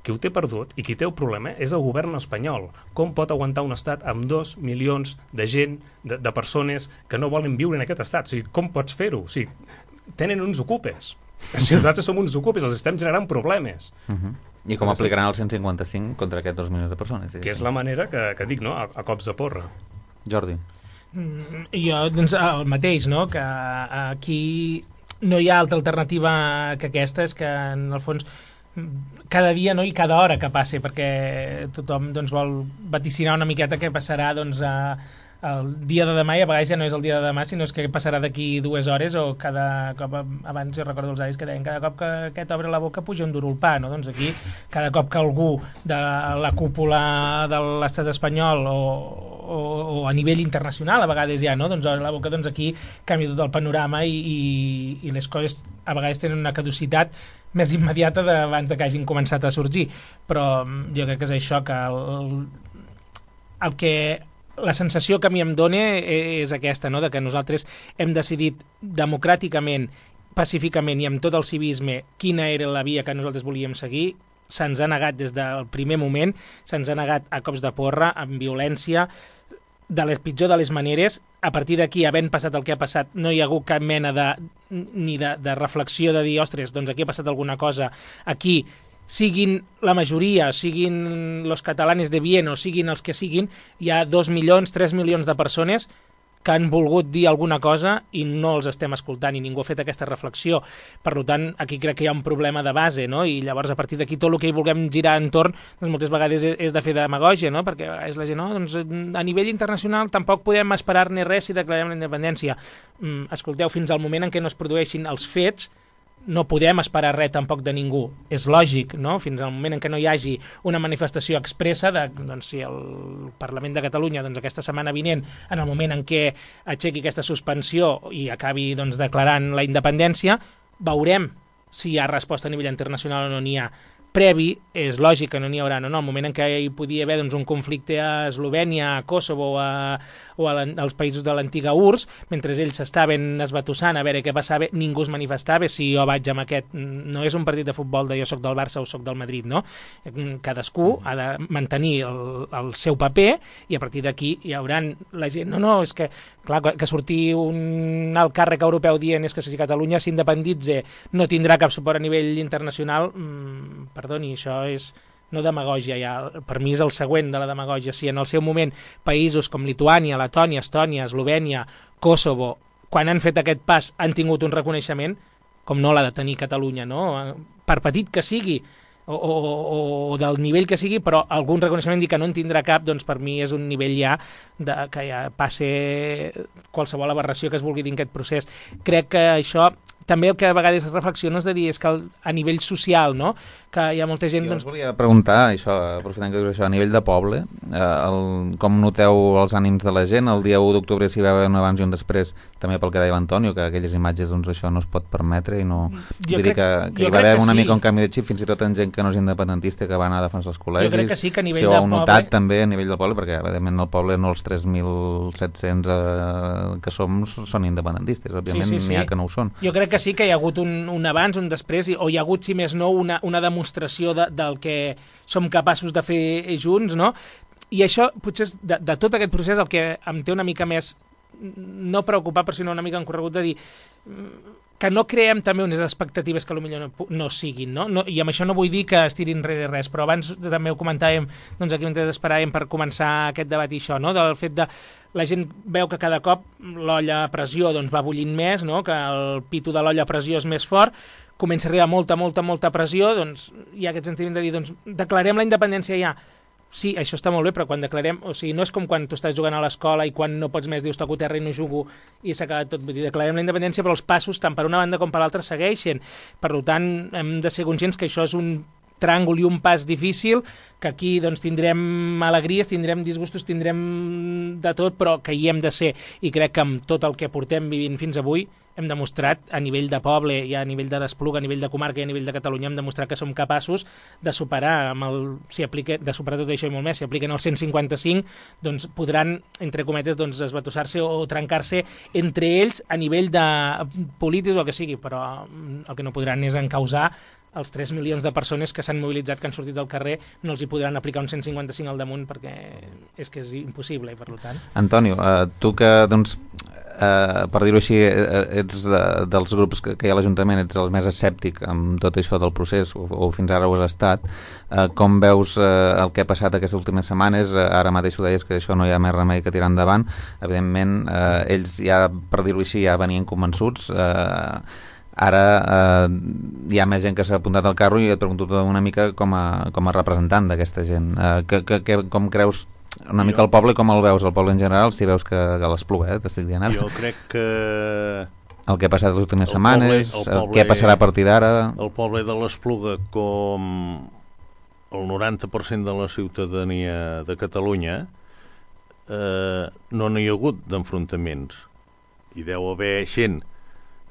qui ho té perdut i qui té el problema és el govern espanyol. Com pot aguantar un estat amb dos milions de gent, de, de persones que no volen viure en aquest estat? O sigui, com pots fer-ho? O sigui, tenen uns ocupes. O sigui, nosaltres som uns ocupes, els estem generant problemes. Uh-huh. I com aplicaran el cent cinquanta cinc contra aquests dos milions de persones? Que és la manera que, que dic, no? A, a cops de porra. Jordi. Mm, jo, doncs, el mateix, no? Que aquí no hi ha altra alternativa que aquesta, és que, en el fons, cada dia, no, i cada hora que passi, perquè tothom doncs, vol vaticinar una miqueta què passarà doncs, a, el dia de demà, i a vegades ja no és el dia de demà, sinó és que passarà d'aquí dues hores, o cada cop, abans jo recordo els avis que deien, cada cop que aquest obre la boca puja un duro al pa, no? Doncs aquí, cada cop que algú de la cúpula de l'estat espanyol o, o, o a nivell internacional a vegades ja, no? Doncs obre la boca, doncs aquí canvia tot el panorama i, i, i les coses a vegades tenen una caducitat més immediata abans que hagin començat a sorgir, però jo crec que és això, que el, el que la sensació que a mi em dona és aquesta, no? De que nosaltres hem decidit democràticament, pacíficament i amb tot el civisme quina era la via que nosaltres volíem seguir. Se'ns ha negat des del primer moment, se'ns ha negat a cops de porra, amb violència, de les pitjor de les maneres. A partir d'aquí, havent passat el que ha passat, no hi ha hagut cap mena de, ni de, de reflexió de dir, ostres, doncs aquí ha passat alguna cosa, aquí, siguin la majoria, siguin los catalanes de bien o siguin els que siguin, hi ha dos milions, tres milions de persones que han volgut dir alguna cosa i no els estem escoltant i ningú ha fet aquesta reflexió. Per tant, aquí crec que hi ha un problema de base, no? I llavors a partir d'aquí tot el que hi vulguem girar entorn doncs moltes vegades és de fer demagògia, no? Perquè és la gent, no? Doncs a nivell internacional tampoc podem esperar-ne res si declarem la independència. Mm, escolteu, fins al moment en què no es produeixin els fets no podem esperar res tampoc de ningú. És lògic, no? Fins al moment en què no hi hagi una manifestació expressa de, doncs, si el Parlament de Catalunya doncs, aquesta setmana vinent, en el moment en què aixequi aquesta suspensió i acabi doncs, declarant la independència, veurem si hi ha resposta a nivell internacional o no n'hi ha. Previ, és lògic que no n'hi haurà, no? En el moment en què hi podia haver doncs, un conflicte a Eslovènia, a Kosovo o, a, o a als països de l'antiga U R S S, mentre ells estaven esbatussant a veure què passava, ningú es manifestava. Si jo vaig amb aquest, no és un partit de futbol de jo soc del Barça o soc del Madrid, no? Cadascú ha de mantenir el, el seu paper i a partir d'aquí hi haurà la gent, no, no, és que clar, que sortir un alt càrrec europeu dient és que si Catalunya s'independitza no tindrà cap suport a nivell internacional, mmm, perdoni, això és no demagògia, ja. Per mi és el següent de la demagògia. Si en el seu moment països com Lituània, Letònia, Estònia, Eslovènia, Kosovo, quan han fet aquest pas han tingut un reconeixement, com no l'ha de tenir Catalunya, no? Per petit que sigui, o, o, o del nivell que sigui, però algun reconeixement dir que no en tindrà cap, doncs per mi és un nivell ja de, que ja passe qualsevol aberració que es vulgui dir en aquest procés. Crec que això també el que a vegades reflexiono és de dir és que el, a nivell social, no? Que hi ha molta gent... Jo doncs... us volia preguntar, això, aprofitant que dius això, a nivell de poble, eh, el, com noteu els ànims de la gent? El dia u d'octubre si hi va haver un abans i un després, també pel que deia l'Antonio, que aquelles imatges, doncs això no es pot permetre i no... Jo Vull crec, dir que, que hi va haver una sí. mica un canvi de xip, fins i tot en gent que no és independentista, que va anar a defensar els col·legis. Jo crec que sí, que a nivell si ho del heu notat poble... també a nivell del poble, perquè evidentment el poble no els tres mil set-cents eh, que som són independentistes, òbviament sí, sí, sí. n'hi ha que no ho són. Jo crec que sí que hi ha hagut un, un abans, un després, o hi ha hagut, si més no, una, una demostració de, del que som capaços de fer junts, no? I això, potser, de, de tot aquest procés, el que em té una mica més, no preocupar, però sinó una mica encorregut de dir que no creem també unes expectatives que potser no, no siguin, no? No, i amb això no vull dir que es tirin enrere res, però abans també ho comentàvem, doncs aquí mentre esperàvem per començar aquest debat i això, no? Del fet de la gent veu que cada cop l'olla a pressió doncs, va bullint més, no? Que el pitu de l'olla a pressió és més fort, comença a arribar molta, molta, molta pressió, doncs hi ha aquest sentiment de dir, doncs declarem la independència ja. Sí, això està molt bé, però quan declarem... O sigui, no és com quan tu estàs jugant a l'escola i quan no pots més dius toco terra i no jugo i s'ha acabat tot. Vull dir, declarem la independència, però els passos, tant per una banda com per l'altra, segueixen. Per tant, hem de ser conscients que això és un tràngol i un pas difícil, que aquí doncs, tindrem alegries, tindrem disgustos, tindrem de tot, però que hi hem de ser. I crec que amb tot el que portem vivint fins avui hem demostrat a nivell de poble i a nivell de d'Espluga, a nivell de comarca i a nivell de Catalunya, hem demostrat que som capaços de superar, amb el, si aplica, de superar tot això i molt més. Si apliquen el cent cinquanta-cinc, doncs podran, entre cometes, doncs, esbatussar-se o trencar-se entre ells a nivell de polítics o el que sigui, però el que no podran és encausar els tres milions de persones que s'han mobilitzat, que han sortit del carrer, no els hi podran aplicar un cent cinquanta-cinc al damunt perquè és que és impossible i per tant... Antonio, eh, tu que, doncs, eh, per dir-ho així, ets de, dels grups que, que hi ha a l'Ajuntament, ets el més escèptic amb tot això del procés, o, o fins ara ho has estat, eh, com veus eh, el que ha passat aquestes últimes setmanes? Eh, ara mateix ho deies que això no hi ha més remei que tirar endavant. Evidentment, eh, ells ja, per dir-ho així, ja venien convençuts. Eh, ara eh, hi ha més gent que s'ha apuntat al carro i et pregunto una mica com a, com a representant d'aquesta gent. Eh, que, que, que, com creus una mica el poble, com el veus, el poble en general, si veus que, que l'Espluga, eh, t'estic dient ara? Jo crec que... El que ha passat les últimes setmanes, el, poble, el què passarà a partir d'ara... El poble de l'Espluga, com el noranta per cent de la ciutadania de Catalunya, eh, no n'hi ha hagut d'enfrontaments. Hi deu haver gent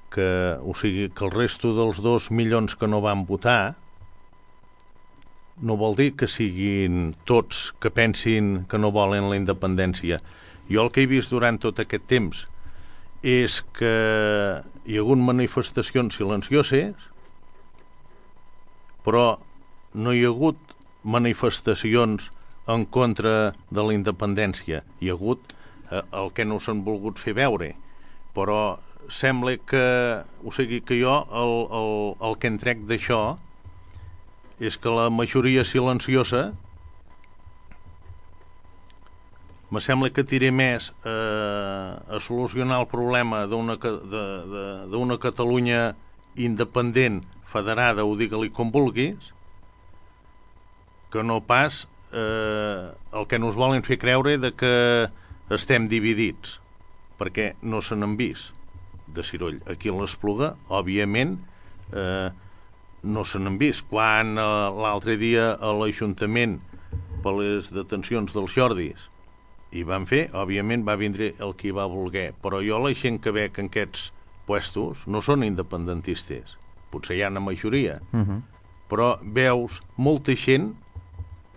que, o sigui, que el resto dels dos milions que no van votar no vol dir que siguin tots que pensin que no volen la independència. Jo el que he vist durant tot aquest temps és que hi ha hagut manifestacions silencioses, però no hi ha hagut manifestacions en contra de la independència. Hi ha hagut eh, el que no s'han volgut fer veure, però sembla que, o sigui, que jo el, el, el que en trec d'això és que la majoria silenciosa me sembla que tiré més eh, a solucionar el problema d'una d'una Catalunya independent, federada, o digue-li com vulguis, que no pas eh, el que nos volen fer creure de que estem dividits, perquè no se n'han vist de ciroll. Aquí a l'Espluga, òbviament, eh, no se n'han vist. Quan eh, l'altre dia a l'Ajuntament, per les detencions dels Jordis, hi van fer, òbviament va vindre el qui va voler, però jo la gent que veig en aquests puestos no són independentistes, potser hi ha una majoria, uh-huh. però veus molta gent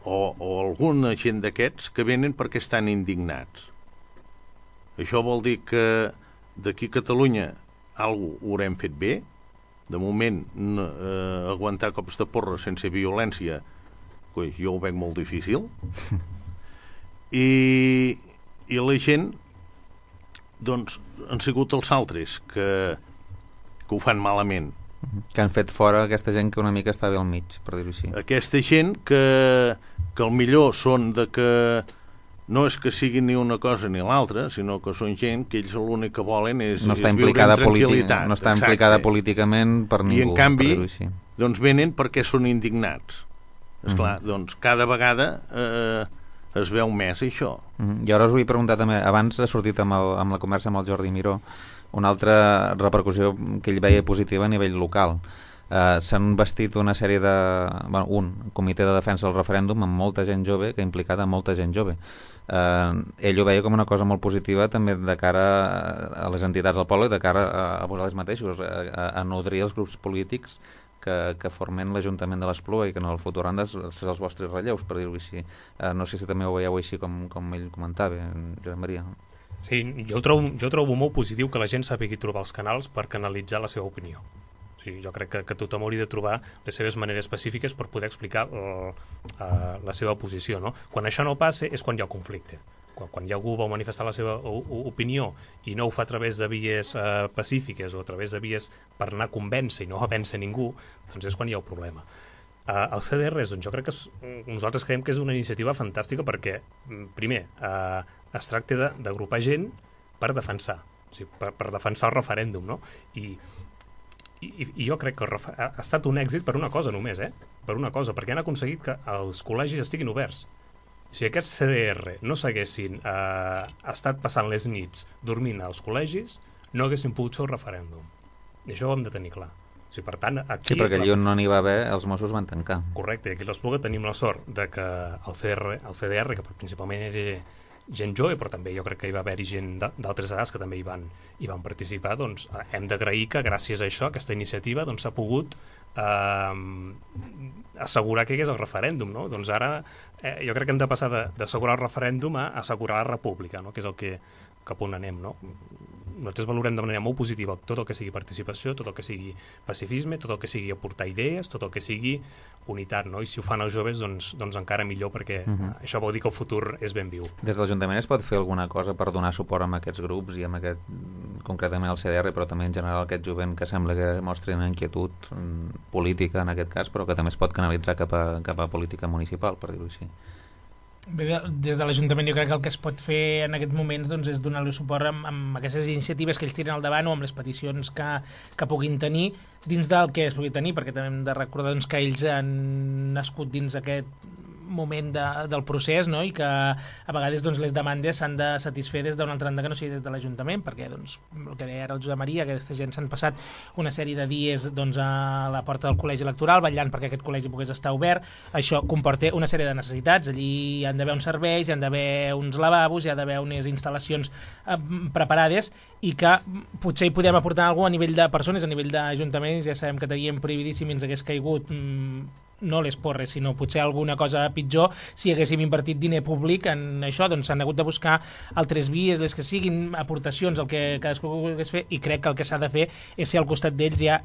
o, o alguna gent d'aquests que venen perquè estan indignats. Això vol dir que d'aquí a Catalunya alguna cosa haurem fet bé. De moment, eh, aguantar cops de porra sense violència, pues, jo ho veig molt difícil. I, i la gent, doncs, han sigut els altres que, que ho fan malament. Que han fet fora aquesta gent que una mica estava al mig, per dir-ho així. Aquesta gent que, que el millor són de que no és que siguin ni una cosa ni l'altra, sinó que són gent que ells l'únic que volen és, no és viure en tranquil·litat. No està implicada Exacte. políticament per ningú. I en canvi, doncs venen perquè són indignats. Esclar, mm-hmm. doncs cada vegada eh, es veu més això. Mm-hmm. I ara us vull preguntar també, abans ha sortit amb, el, amb la conversa amb el Jordi Miró, una altra repercussió que ell veia positiva a nivell local. Uh, s'han vestit una sèrie de... Bueno, un comitè de defensa del referèndum amb molta gent jove, que ha implicat a molta gent jove. Uh, ell ho veia com una cosa molt positiva també de cara a les entitats del poble, de cara a, a vosaltres mateixos, a, a nodrir els grups polítics que, que formen l'Ajuntament de l'Espluga i que en el futur han de ser els vostres relleus, per dir-ho així. Uh, no sé si també ho veieu així com, com ell comentava, Josep Maria. Sí, jo trobo, jo trobo molt positiu que la gent sàpigui trobar els canals per canalitzar la seva opinió. Sí, jo crec que, que tothom hauria de trobar les seves maneres específiques per poder explicar uh, uh, la seva posició, no? Quan això no passa és quan hi ha conflicte. Quan, quan hi ha algú vol manifestar la seva opinió i no ho fa a través de vies uh, pacífiques o a través de vies per anar a convèncer i no a vèncer ningú, doncs és quan hi ha el problema. Uh, el C D R, doncs jo crec que és, nosaltres creiem que és una iniciativa fantàstica perquè, primer, uh, es tracta d'agrupar gent per defensar, o sigui, per, per defensar el referèndum, no? I I, i jo crec que ha estat un èxit per una cosa només, eh? Per una cosa, perquè han aconseguit que els col·legis estiguin oberts. Si aquests C D R no s'haguessin eh, estat passant les nits dormint als col·legis, no haguessin pogut fer el referèndum. I això ho hem de tenir clar. O sigui, per tant, aquí... Sí, perquè allà on no n'hi va haver, els Mossos van tancar. Correcte, i aquí a l'Espluga tenim la sort de que el C D R, el C D R que principalment era gent jove, però també jo crec que hi va haver-hi gent d'altres edats que també hi van, hi van participar, doncs hem d'agrair que gràcies a això, aquesta iniciativa, doncs s'ha pogut eh, assegurar que hi hagués el referèndum, no? Doncs ara eh, jo crec que hem de passar d'assegurar el referèndum a assegurar la república, no? Que és el que cap on anem, no? nosaltres valorem de manera molt positiva tot el que sigui participació, tot el que sigui pacifisme, tot el que sigui aportar idees, tot el que sigui unitat, no? I si ho fan els joves, doncs, doncs encara millor, perquè uh -huh. això vol dir que el futur és ben viu. Des de l'Ajuntament es pot fer alguna cosa per donar suport a aquests grups i amb aquest, concretament al C D R, però també en general aquest jovent que sembla que mostren inquietud política en aquest cas, però que també es pot canalitzar cap a, cap a política municipal, per dir-ho així? Bé, des de l'Ajuntament jo crec que el que es pot fer en aquests moments doncs, és donar-li suport amb, amb aquestes iniciatives que ells tiren al davant o amb les peticions que, que puguin tenir dins del que es pugui tenir, perquè també hem de recordar doncs, que ells han nascut dins aquest moment de, del procés, no? I que a vegades doncs, les demandes s'han de satisfer des d'una altra banda que no sigui des de l'Ajuntament, perquè doncs, el que deia ara el Josep Maria, que aquesta gent s'han passat una sèrie de dies doncs, a la porta del col·legi electoral vetllant perquè aquest col·legi pogués estar obert. Això comporta una sèrie de necessitats. Allí hi han d'haver uns serveis, hi han d'haver uns lavabos, hi ha d'haver unes instal·lacions eh, preparades i que potser hi podem aportar alguna cosa a nivell de persones, a nivell d'ajuntaments. Ja sabem que teníem prohibidíssim i ens hagués caigut mm, no les porres, sinó potser alguna cosa pitjor si haguéssim invertit diner públic en això. Doncs s'han hagut de buscar altres vies, les que siguin, aportacions, el que cadascú volgués fer, i crec que el que s'ha de fer és ser al costat d'ells ja,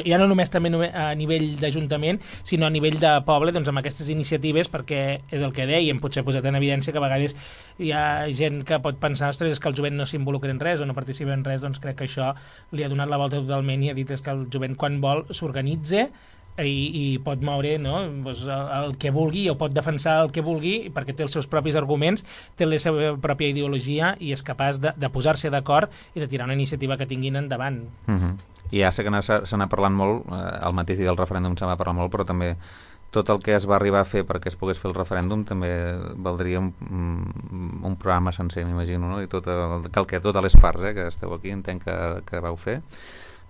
ja no només també a nivell d'Ajuntament, sinó a nivell de poble, doncs amb aquestes iniciatives, perquè és el que dèiem, potser posat en evidència que a vegades hi ha gent que pot pensar, ostres, és que el jovent no s'involucra en res o no participa en res. Doncs crec que això li ha donat la volta totalment i ha dit és que el jovent quan vol s'organitza i, i pot moure, no? Pues el, el que vulgui, o pot defensar el que vulgui perquè té els seus propis arguments, té la seva pròpia ideologia i és capaç de, de posar-se d'acord i de tirar una iniciativa que tinguin endavant. Uh-huh. I ja sé que se n'ha parlat molt, eh, el mateix dia del referèndum se n'ha parlat molt, però també tot el que es va arribar a fer perquè es pogués fer el referèndum també valdria un, un programa sencer, m'imagino, no? I tot el, cal que totes les parts eh, que esteu aquí entenc que, que vau fer.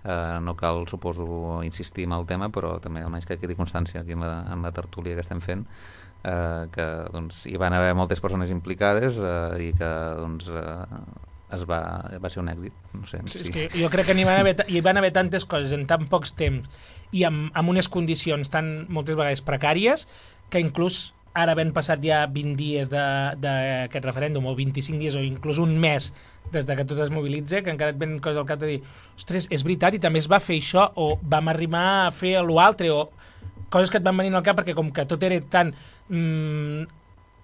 Uh, no cal, suposo, insistir en el tema, però també almenys que quedi constància aquí en la, en la tertúlia que estem fent, uh, que doncs, hi van haver moltes persones implicades uh, i que doncs, uh, es va, va ser un èxit. No sé, sí, sí. És que jo crec que hi van, haver, hi van haver tantes coses en tan pocs temps i amb, amb unes condicions tan moltes vegades precàries que inclús ara havent passat ja vint dies d'aquest referèndum o vint-i-cinc dies o inclús un mes des de que tot es mobilitza, que encara et ven coses al cap de dir, ostres, és veritat, i també es va fer això, o vam arribar a fer l'altre, o coses que et van venir al cap, perquè com que tot era tan... Mmm,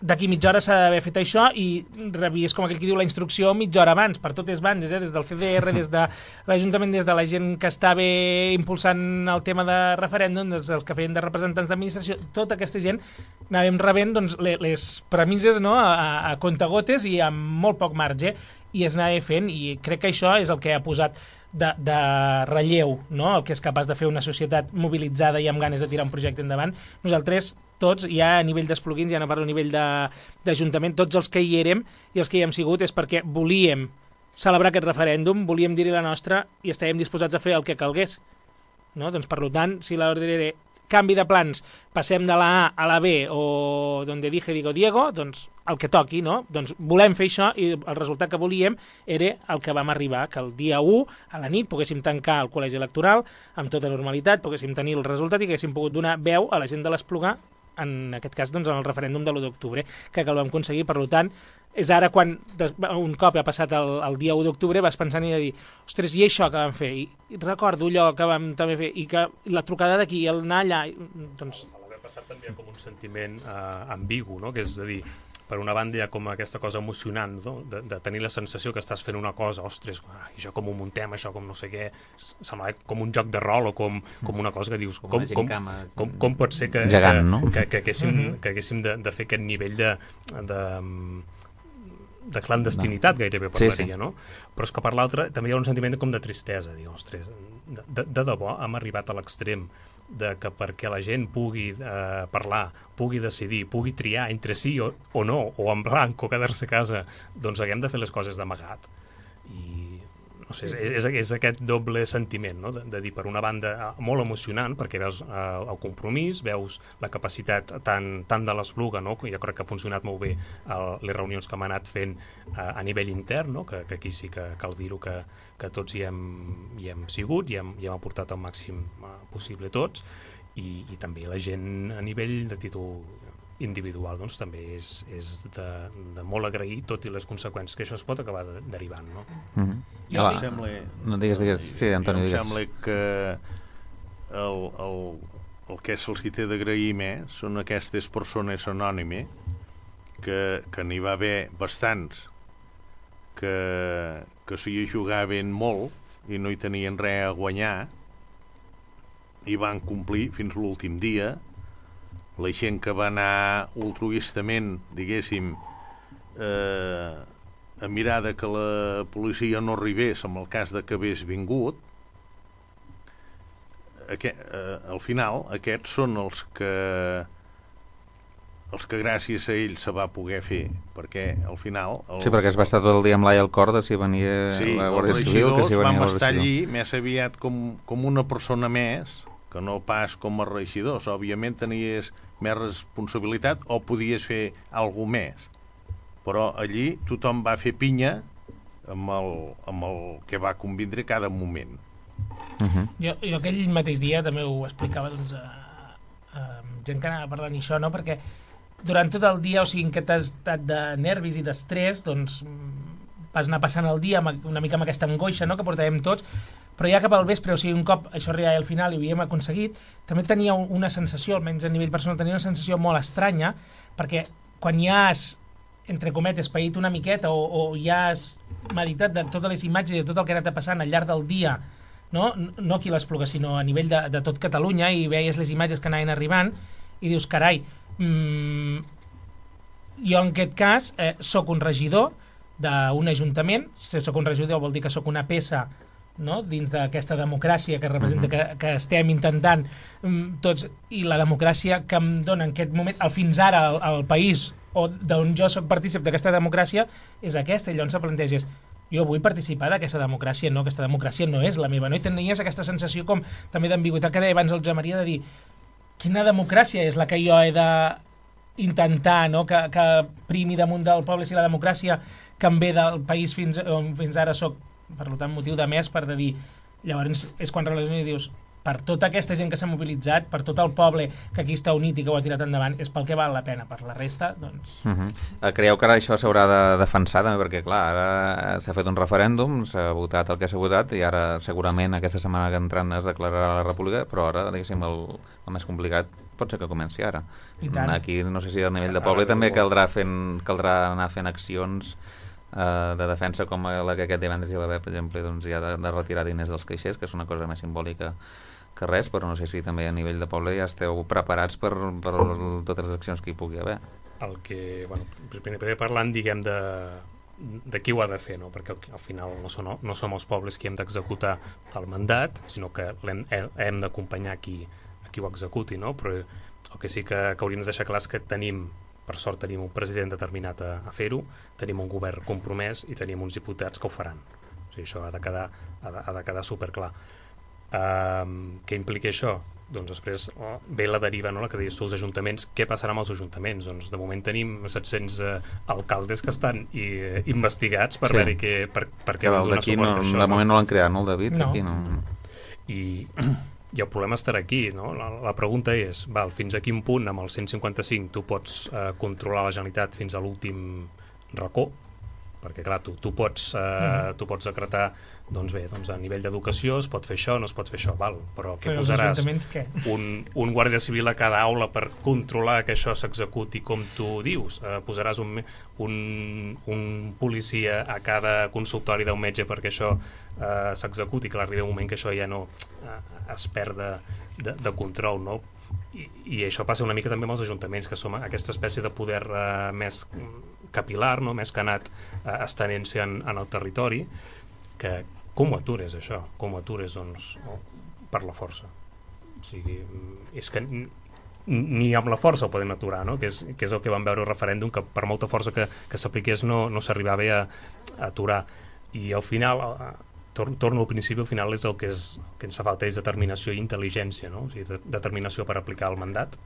d'aquí mitja hora s'ha d'haver fet això, i rebies, com aquell que diu, la instrucció mitja hora abans, per totes bandes, eh? Des del C D R, des de l'Ajuntament, des de la gent que estava impulsant el tema de referèndum, des dels que feien de representants d'administració, tota aquesta gent anàvem rebent doncs, les, les premisses, no? a, a contagotes i amb molt poc marge, i es anava fent, i crec que això és el que ha posat de, de relleu, no? El que és capaç de fer una societat mobilitzada i amb ganes de tirar un projecte endavant. Nosaltres, tots, ja a nivell d'esplugins, ja no parlo a nivell d'Ajuntament, tots els que hi érem i els que hi hem sigut és perquè volíem celebrar aquest referèndum, volíem dir-hi la nostra i estàvem disposats a fer el que calgués. No? Doncs, per tant, si l'ordre era canvi de plans, passem de la A a la B o donde dije digo Diego, doncs el que toqui, no? Doncs volem fer això i el resultat que volíem era el que vam arribar, que el dia u, a la nit, poguéssim tancar el col·legi electoral amb tota normalitat, poguéssim tenir el resultat i que haguéssim pogut donar veu a la gent de l'Esplugar, en aquest cas doncs, en el referèndum de l'u d'octubre, que, que el vam aconseguir. Per tant, és ara quan un cop ha passat el, el dia u d'octubre vas pensant i de dir, ostres, i això que vam fer? I, i recordo allò que vam també fer, i que la trucada d'aquí, el anar allà... Doncs... L'haver passat també com un sentiment eh, ambigu, no? Que és a dir, per una banda hi ha com aquesta cosa emocionant, no? de, de tenir la sensació que estàs fent una cosa, ostres, ah, això com ho muntem, això com no sé què, sembla com un joc de rol o com, com una cosa que dius, com, com, com, com, com pot ser que, gegant, no? que, que, que haguéssim, mm-hmm. que haguéssim de, de fer aquest nivell de... de de clandestinitat, no. Gairebé parlaria, sí, sí. No? Però és que per l'altre també hi ha un sentiment com de tristesa, dir, ostres, de, de, de debò hem arribat a l'extrem de que perquè la gent pugui eh, parlar, pugui decidir, pugui triar entre sí o, o no, o en blanc o quedar-se a casa, doncs haguem de fer les coses d'amagat. I no sé, és, és, és aquest doble sentiment, no? de, de dir, per una banda, molt emocionant, perquè veus eh, el compromís, veus la capacitat tant, tant de l'Espluga, no? Jo crec que ha funcionat molt bé el, les reunions que hem anat fent eh, a nivell intern, no? que, que aquí sí que cal dir-ho que, que tots hi hem, hi hem sigut, i hem, hi hem aportat el màxim eh, possible tots, i, i també la gent a nivell de títol individual doncs, també és, és de, de molt agrair, tot i les conseqüències que això es pot acabar de, derivant. No? Mm-hmm. Jo em sembla, no, digues, digues. Sí, Antoni, digues. digues. Em sembla que el, el, el que se'ls té d'agrair més són aquestes persones anònimes que, que n'hi va haver bastants que, que s'hi jugaven molt i no hi tenien res a guanyar i van complir fins l'últim dia. La gent que va anar altruistament, diguéssim, eh, a mirar de que la policia no arribés en el cas de que hagués vingut, aquest, eh, al final aquests són els que els que gràcies a ells se va poder fer, perquè al final... El... Sí, perquè es va estar tot el dia amb l'ai al cor de si venia sí, la Guàrdia Civil, que si venia vam la estar allí més aviat com, com una persona més, que no pas com a regidors. Òbviament tenies més responsabilitat o podies fer alguna més. Però allí tothom va fer pinya amb el, amb el que va convindre cada moment. Uh-huh. jo, jo aquell mateix dia també ho explicava doncs, a, a gent que anava parlant això, no? Perquè durant tot el dia, o sigui, en aquest estat de nervis i d'estrès, doncs vas anar passant el dia amb, una mica amb aquesta angoixa, no?, que portàvem tots, però ja cap al vespre, o sigui, un cop això arribava al final i ho havíem aconseguit, també tenia una sensació, almenys a nivell personal, tenia una sensació molt estranya, perquè quan ja has, entre cometes, paït una miqueta o, o ja has meditat de totes les imatges i de tot el que ha anat passant al llarg del dia, no, no aquí a l'Espluga, sinó a nivell de, de tot Catalunya, i veies les imatges que anaven arribant, i dius, carai, mmm, jo en aquest cas eh, soc un regidor d'un ajuntament, si soc un regidor vol dir que soc una peça, no?, dins d'aquesta democràcia que representa, uh-huh. que, que estem intentant um, tots, i la democràcia que em dona en aquest moment, al fins ara al, al país, o d'on jo soc partícip d'aquesta democràcia, és aquesta, i llavors se planteges, jo vull participar d'aquesta democràcia, no, aquesta democràcia no és la meva, no? I tenies aquesta sensació com també d'ambigüitat que deia abans el Josep Maria, de dir, quina democràcia és la que jo he de intentar, no?, que, que primi damunt del poble, si la democràcia que em ve del país fins, on fins ara soc, per tant, motiu de més per de dir, llavors és quan relaciona i dius, per tota aquesta gent que s'ha mobilitzat, per tot el poble que aquí està unit i que ho ha tirat endavant, és pel que val la pena, per la resta, doncs... Uh-huh. Creieu que ara això s'haurà de defensar també? Perquè, clar, ara s'ha fet un referèndum, s'ha votat el que s'ha votat, i ara segurament aquesta setmana que entrant es declararà la república, però ara, diguéssim, el, el més complicat pot ser que comenci ara. Aquí, no sé si a nivell de poble també caldrà, fent, caldrà anar fent accions Uh, de defensa com la que aquest divendres hi va haver, per exemple, doncs ja de, de retirar diners dels caixers, que és una cosa més simbòlica que res, però no sé si també a nivell de poble ja esteu preparats per, per totes les accions que hi pugui haver. El que, bueno, primer parlant, diguem, de, de qui ho ha de fer, no? Perquè al final no som, no som els pobles qui hem d'executar el mandat, sinó que hem, hem d'acompanyar qui, a qui ho executi, no? Però el que sí que, que hauríem de deixar clar és que tenim, per sort tenim un president determinat a, a fer-ho, tenim un govern compromès i tenim uns diputats que ho faran. O sigui, això ha de quedar, ha de, ha de quedar superclar. Um, què implica això? Doncs després oh, ve la deriva, no?, la que deies tu, els ajuntaments. Què passarà amb els ajuntaments? Doncs de moment tenim set-cents eh, alcaldes que estan i, eh, investigats per sí. veure que, per, per què van donar suport no, a això. De moment no l'han creat, no, el David? No. Aquí no. I... I el problema estarà aquí, no? La, la pregunta és, val, fins a quin punt amb el cent cinquanta-cinc tu pots eh, controlar la Generalitat fins a l'últim racó? Perquè, clar, tu, tu, pots, eh, mm. tu pots decretar, doncs bé, doncs a nivell d'educació es pot fer això, no es pot fer això, val, però què però posaràs? Què? Un, un guàrdia civil a cada aula per controlar que això s'executi com tu dius? Eh, posaràs un, un, un policia a cada consultori d'un metge perquè això eh, s'executi? Clar, arriba un moment que això ja no eh, es perd de, de, de control, no? I, i això passa una mica també amb els ajuntaments, que som aquesta espècie de poder eh, més capilar, no?, més que ha anat eh, estenent-se en, en el territori, que com ho atures això? Com ho atures, doncs, no? Per la força. O sigui, és que ni amb la força ho podem aturar, no?, que és, que és el que vam veure al referèndum, que per molta força que, que s'apliqués no, no s'arribava a, a aturar. I al final, tor torno al principi, al final és el que, és, el que ens fa falta és determinació i intel·ligència, no? O sigui, de determinació per aplicar el mandat,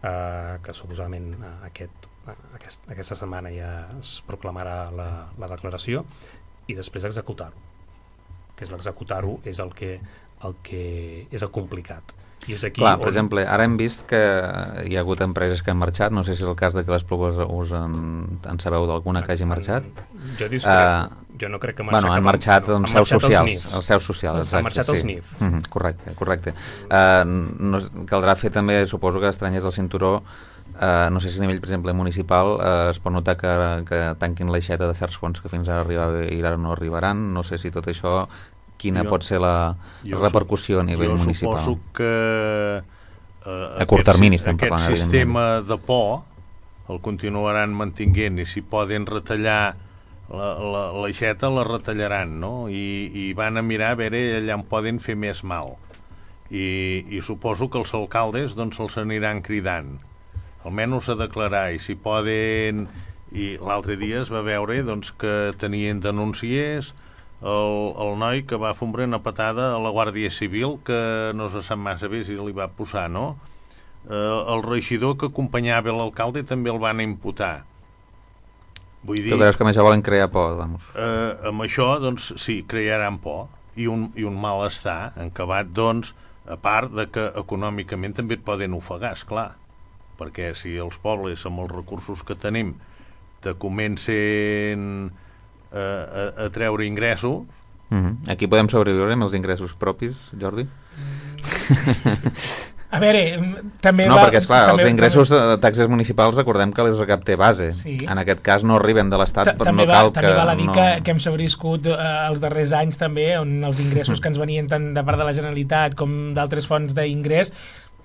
eh, que suposadament eh, aquest, eh, aquest, aquesta setmana ja es proclamarà la, la declaració, i després executar-ho, que és l'executar-ho és el que, el que és el complicat. I és aquí Clar, on... per exemple, ara hem vist que hi ha hagut empreses que han marxat, no sé si és el cas de que les Plugues us en, en sabeu d'alguna que hagi marxat. Jo discrec, uh, jo no crec que bueno, han marxat no, doncs, seus socials, els seus socials, exacte. Han marxat sí. els N I Fs. Mm -hmm, correcte, correcte. Uh, no, caldrà fer també, suposo que estranyes del cinturó, uh, no sé si a nivell, per exemple, municipal uh, es pot notar que, que tanquin l'aixeta de certs fons que fins ara arribava i ara no arribaran, no sé si tot això, quina jo, pot ser la repercussió a nivell jo municipal. Jo suposo que Uh, a curt termini estem aquest parlant, aquest sistema de por el continuaran mantinguent i si poden retallar l'aixeta la, la retallaran, no? I, i van a mirar a veure allà on poden fer més mal i, i suposo que els alcaldes doncs se'ls aniran cridant almenys a declarar i si poden i l'altre dia es va veure doncs, que tenien denúncies el, el noi que va fombrar una patada a la Guàrdia Civil que no se sap massa bé si li va posar, no? Eh, el regidor que acompanyava l'alcalde també el van imputar. Vull dir... Tu creus que amb això volen crear por, vamos? Eh, amb això, doncs, sí, crearan por i un, i un malestar encabat, doncs, a part de que econòmicament també et poden ofegar, esclar, perquè si els pobles amb els recursos que tenim te comencen a, a, a treure ingressos. Mm-hmm. Aquí podem sobreviure amb els ingressos propis, Jordi? A veure, també... No, va, perquè, esclar, també, els ingressos també... de taxes municipals recordem que les recapta base. Sí. En aquest cas no arriben de l'Estat, però no va, cal que... També val a dir no... que, que hem sobreviscut eh, els darrers anys també, on els ingressos que ens venien tant de part de la Generalitat com d'altres fonts d'ingrés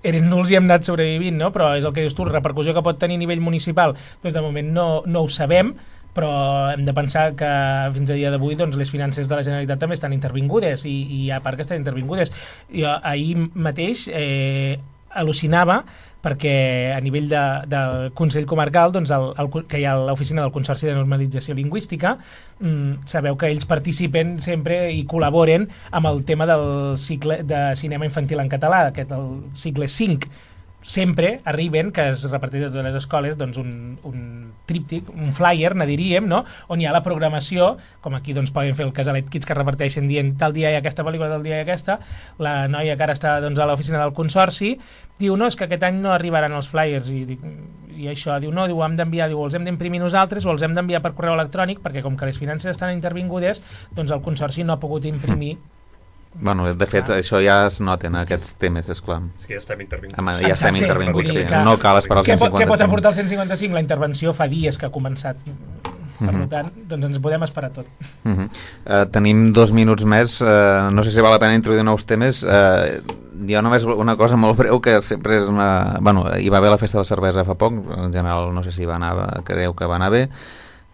eren nuls i hem anat sobrevivint, no? Però és el que dius tu, la repercussió que pot tenir a nivell municipal, doncs de moment no, no ho sabem, però hem de pensar que fins a dia d'avui doncs, les finances de la Generalitat també estan intervingudes i, i hi ha part que estan intervingudes. Jo ahir mateix eh, al·lucinava perquè a nivell de, del Consell Comarcal, doncs el, el, que hi ha l'oficina del Consorci de Normalització Lingüística, mmm, sabeu que ells participen sempre i col·laboren amb el tema del cicle de cinema infantil en català, aquest el cicle cinc. Sempre arriben, que es reparteix a totes les escoles, doncs un, un tríptic, un flyer, ne diríem, no? On hi ha la programació, com aquí doncs, poden fer el Casalet Kids que reparteixen dient tal dia hi ha aquesta pel·lícula, tal dia hi ha aquesta, la noia que ara està doncs, a l'oficina del Consorci, diu, no, és que aquest any no arribaran els flyers, i, dic, i això, diu, no, diu, hem d'enviar, diu, els hem d'imprimir nosaltres o els hem d'enviar per correu electrònic, perquè com que les finances estan intervingudes, doncs el Consorci no ha pogut imprimir. Bueno, de fet, ah. això ja es noten, aquests temes, esclar. Sí, ja estem intervinguts. Home, ja estem intervinguts, sí. Que, no cal esperar el cent cinquanta-cinc. Què pot aportar el cent cinquanta-cinc? La intervenció fa dies que ha començat. Per uh-huh. tant, doncs ens podem esperar tot. Uh-huh. uh, tenim dos minuts més. Uh, no sé si val la pena introduir nous temes. Uh, jo només una cosa molt breu, que sempre és una... Bueno, hi va haver la festa de la cervesa fa poc, en general no sé si va anar, creu que va anar bé,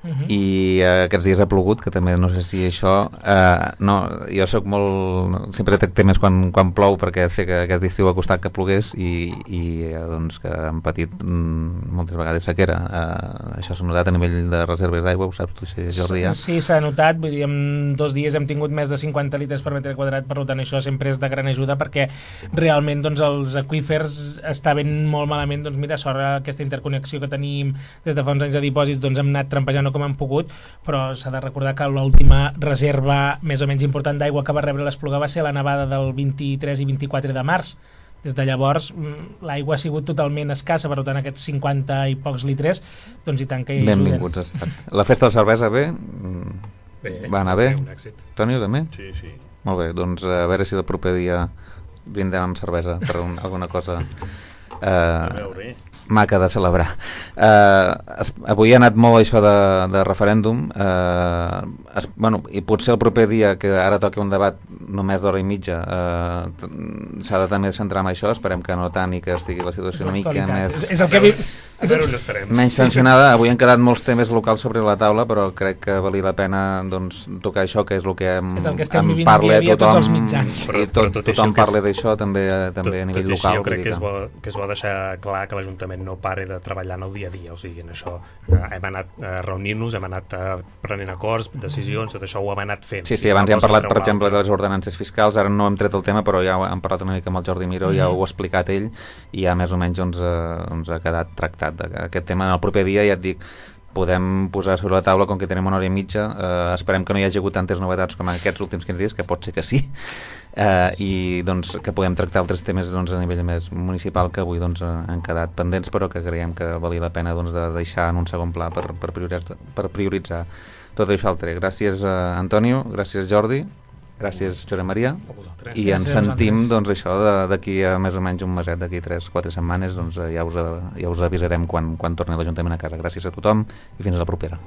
Uh-huh. i uh, aquests dies ha plogut, que també no sé si això uh, no, jo sóc molt sempre trec temes quan, quan plou perquè sé que aquest estiu ha costat que plogués i, i uh, doncs que han patit mm, moltes vegades sequera. Uh, això s'ha notat a nivell de reserves d'aigua, ho saps tu, si Jordi ja? Sí, s'ha notat, vull dir, en dos dies hem tingut més de cinquanta litres per metre quadrat, per tant això sempre és de gran ajuda perquè realment doncs, els aqüífers estaven molt malament, doncs mira, sort aquesta interconnexió que tenim des de fa uns anys de dipòsits, doncs hem anat trampejant com hem pogut, però s'ha de recordar que l'última reserva més o menys important d'aigua que va rebre l'Espluga va ser la nevada del vint-i-tres i vint-i-quatre de març. Des de llavors l'aigua ha sigut totalment escassa, per tant aquests cinquanta i pocs litres doncs i tant que hi ajuden. Benvinguts ha estat. La festa de la cervesa bé? Bé, va anar bé? Un èxit. Toni, també? Sí, sí. Molt bé, doncs a veure si el proper dia brindem amb cervesa per un, alguna cosa eh, a veure maca de celebrar. Uh, es, avui ha anat molt això de, de referèndum, uh, es, bueno, i potser el proper dia, que ara toca un debat només d'hora i mitja, uh, s'ha de també centrar en això, esperem que no tant i que estigui la situació una mica més... És, és el que vi... A veure on estarem. Menys tensionada. Avui han quedat molts temes locals sobre la taula, però crec que valia la pena doncs, tocar això, que és el que em, és el que estem em vivint parla dia a dia tothom, tots els mitjans. Però, i tot, però tot tothom parla d'això també, també tot, a nivell tot local. Jo crec que és, bo, que és bo deixar clar que l'Ajuntament no pare de treballar en el dia a dia, o sigui, en això eh, hem anat a reunir-nos, hem anat a prenent acords, decisions, tot això ho hem anat fent. Sí, sí, abans ja hem parlat, per exemple, de les ordenances fiscals, ara no hem tret el tema, però ja hem parlat una mica amb el Jordi Miró, mm. ja ho ha explicat ell, i ja més o menys doncs, eh, doncs ha quedat tractat aquest tema. En el proper dia, ja et dic, podem posar sobre la taula, com que tenim una hora i mitja, eh, esperem que no hi hagi hagut tantes novetats com aquests últims quinze dies, que pot ser que sí, eh, i doncs, que podem tractar altres temes doncs, a nivell més municipal que avui doncs, han quedat pendents, però que creiem que valia la pena doncs, de deixar en un segon pla per, per, prioritzar, per prioritzar tot això altre. Gràcies, eh, Antonio, gràcies, Jordi, gràcies, Josep Maria, i ens sentim doncs, això d'aquí a més o menys un meset, d'aquí tres quatre setmanes, doncs, ja, us, ja us avisarem quan, quan torni l'Ajuntament a casa. Gràcies a tothom i fins a la propera.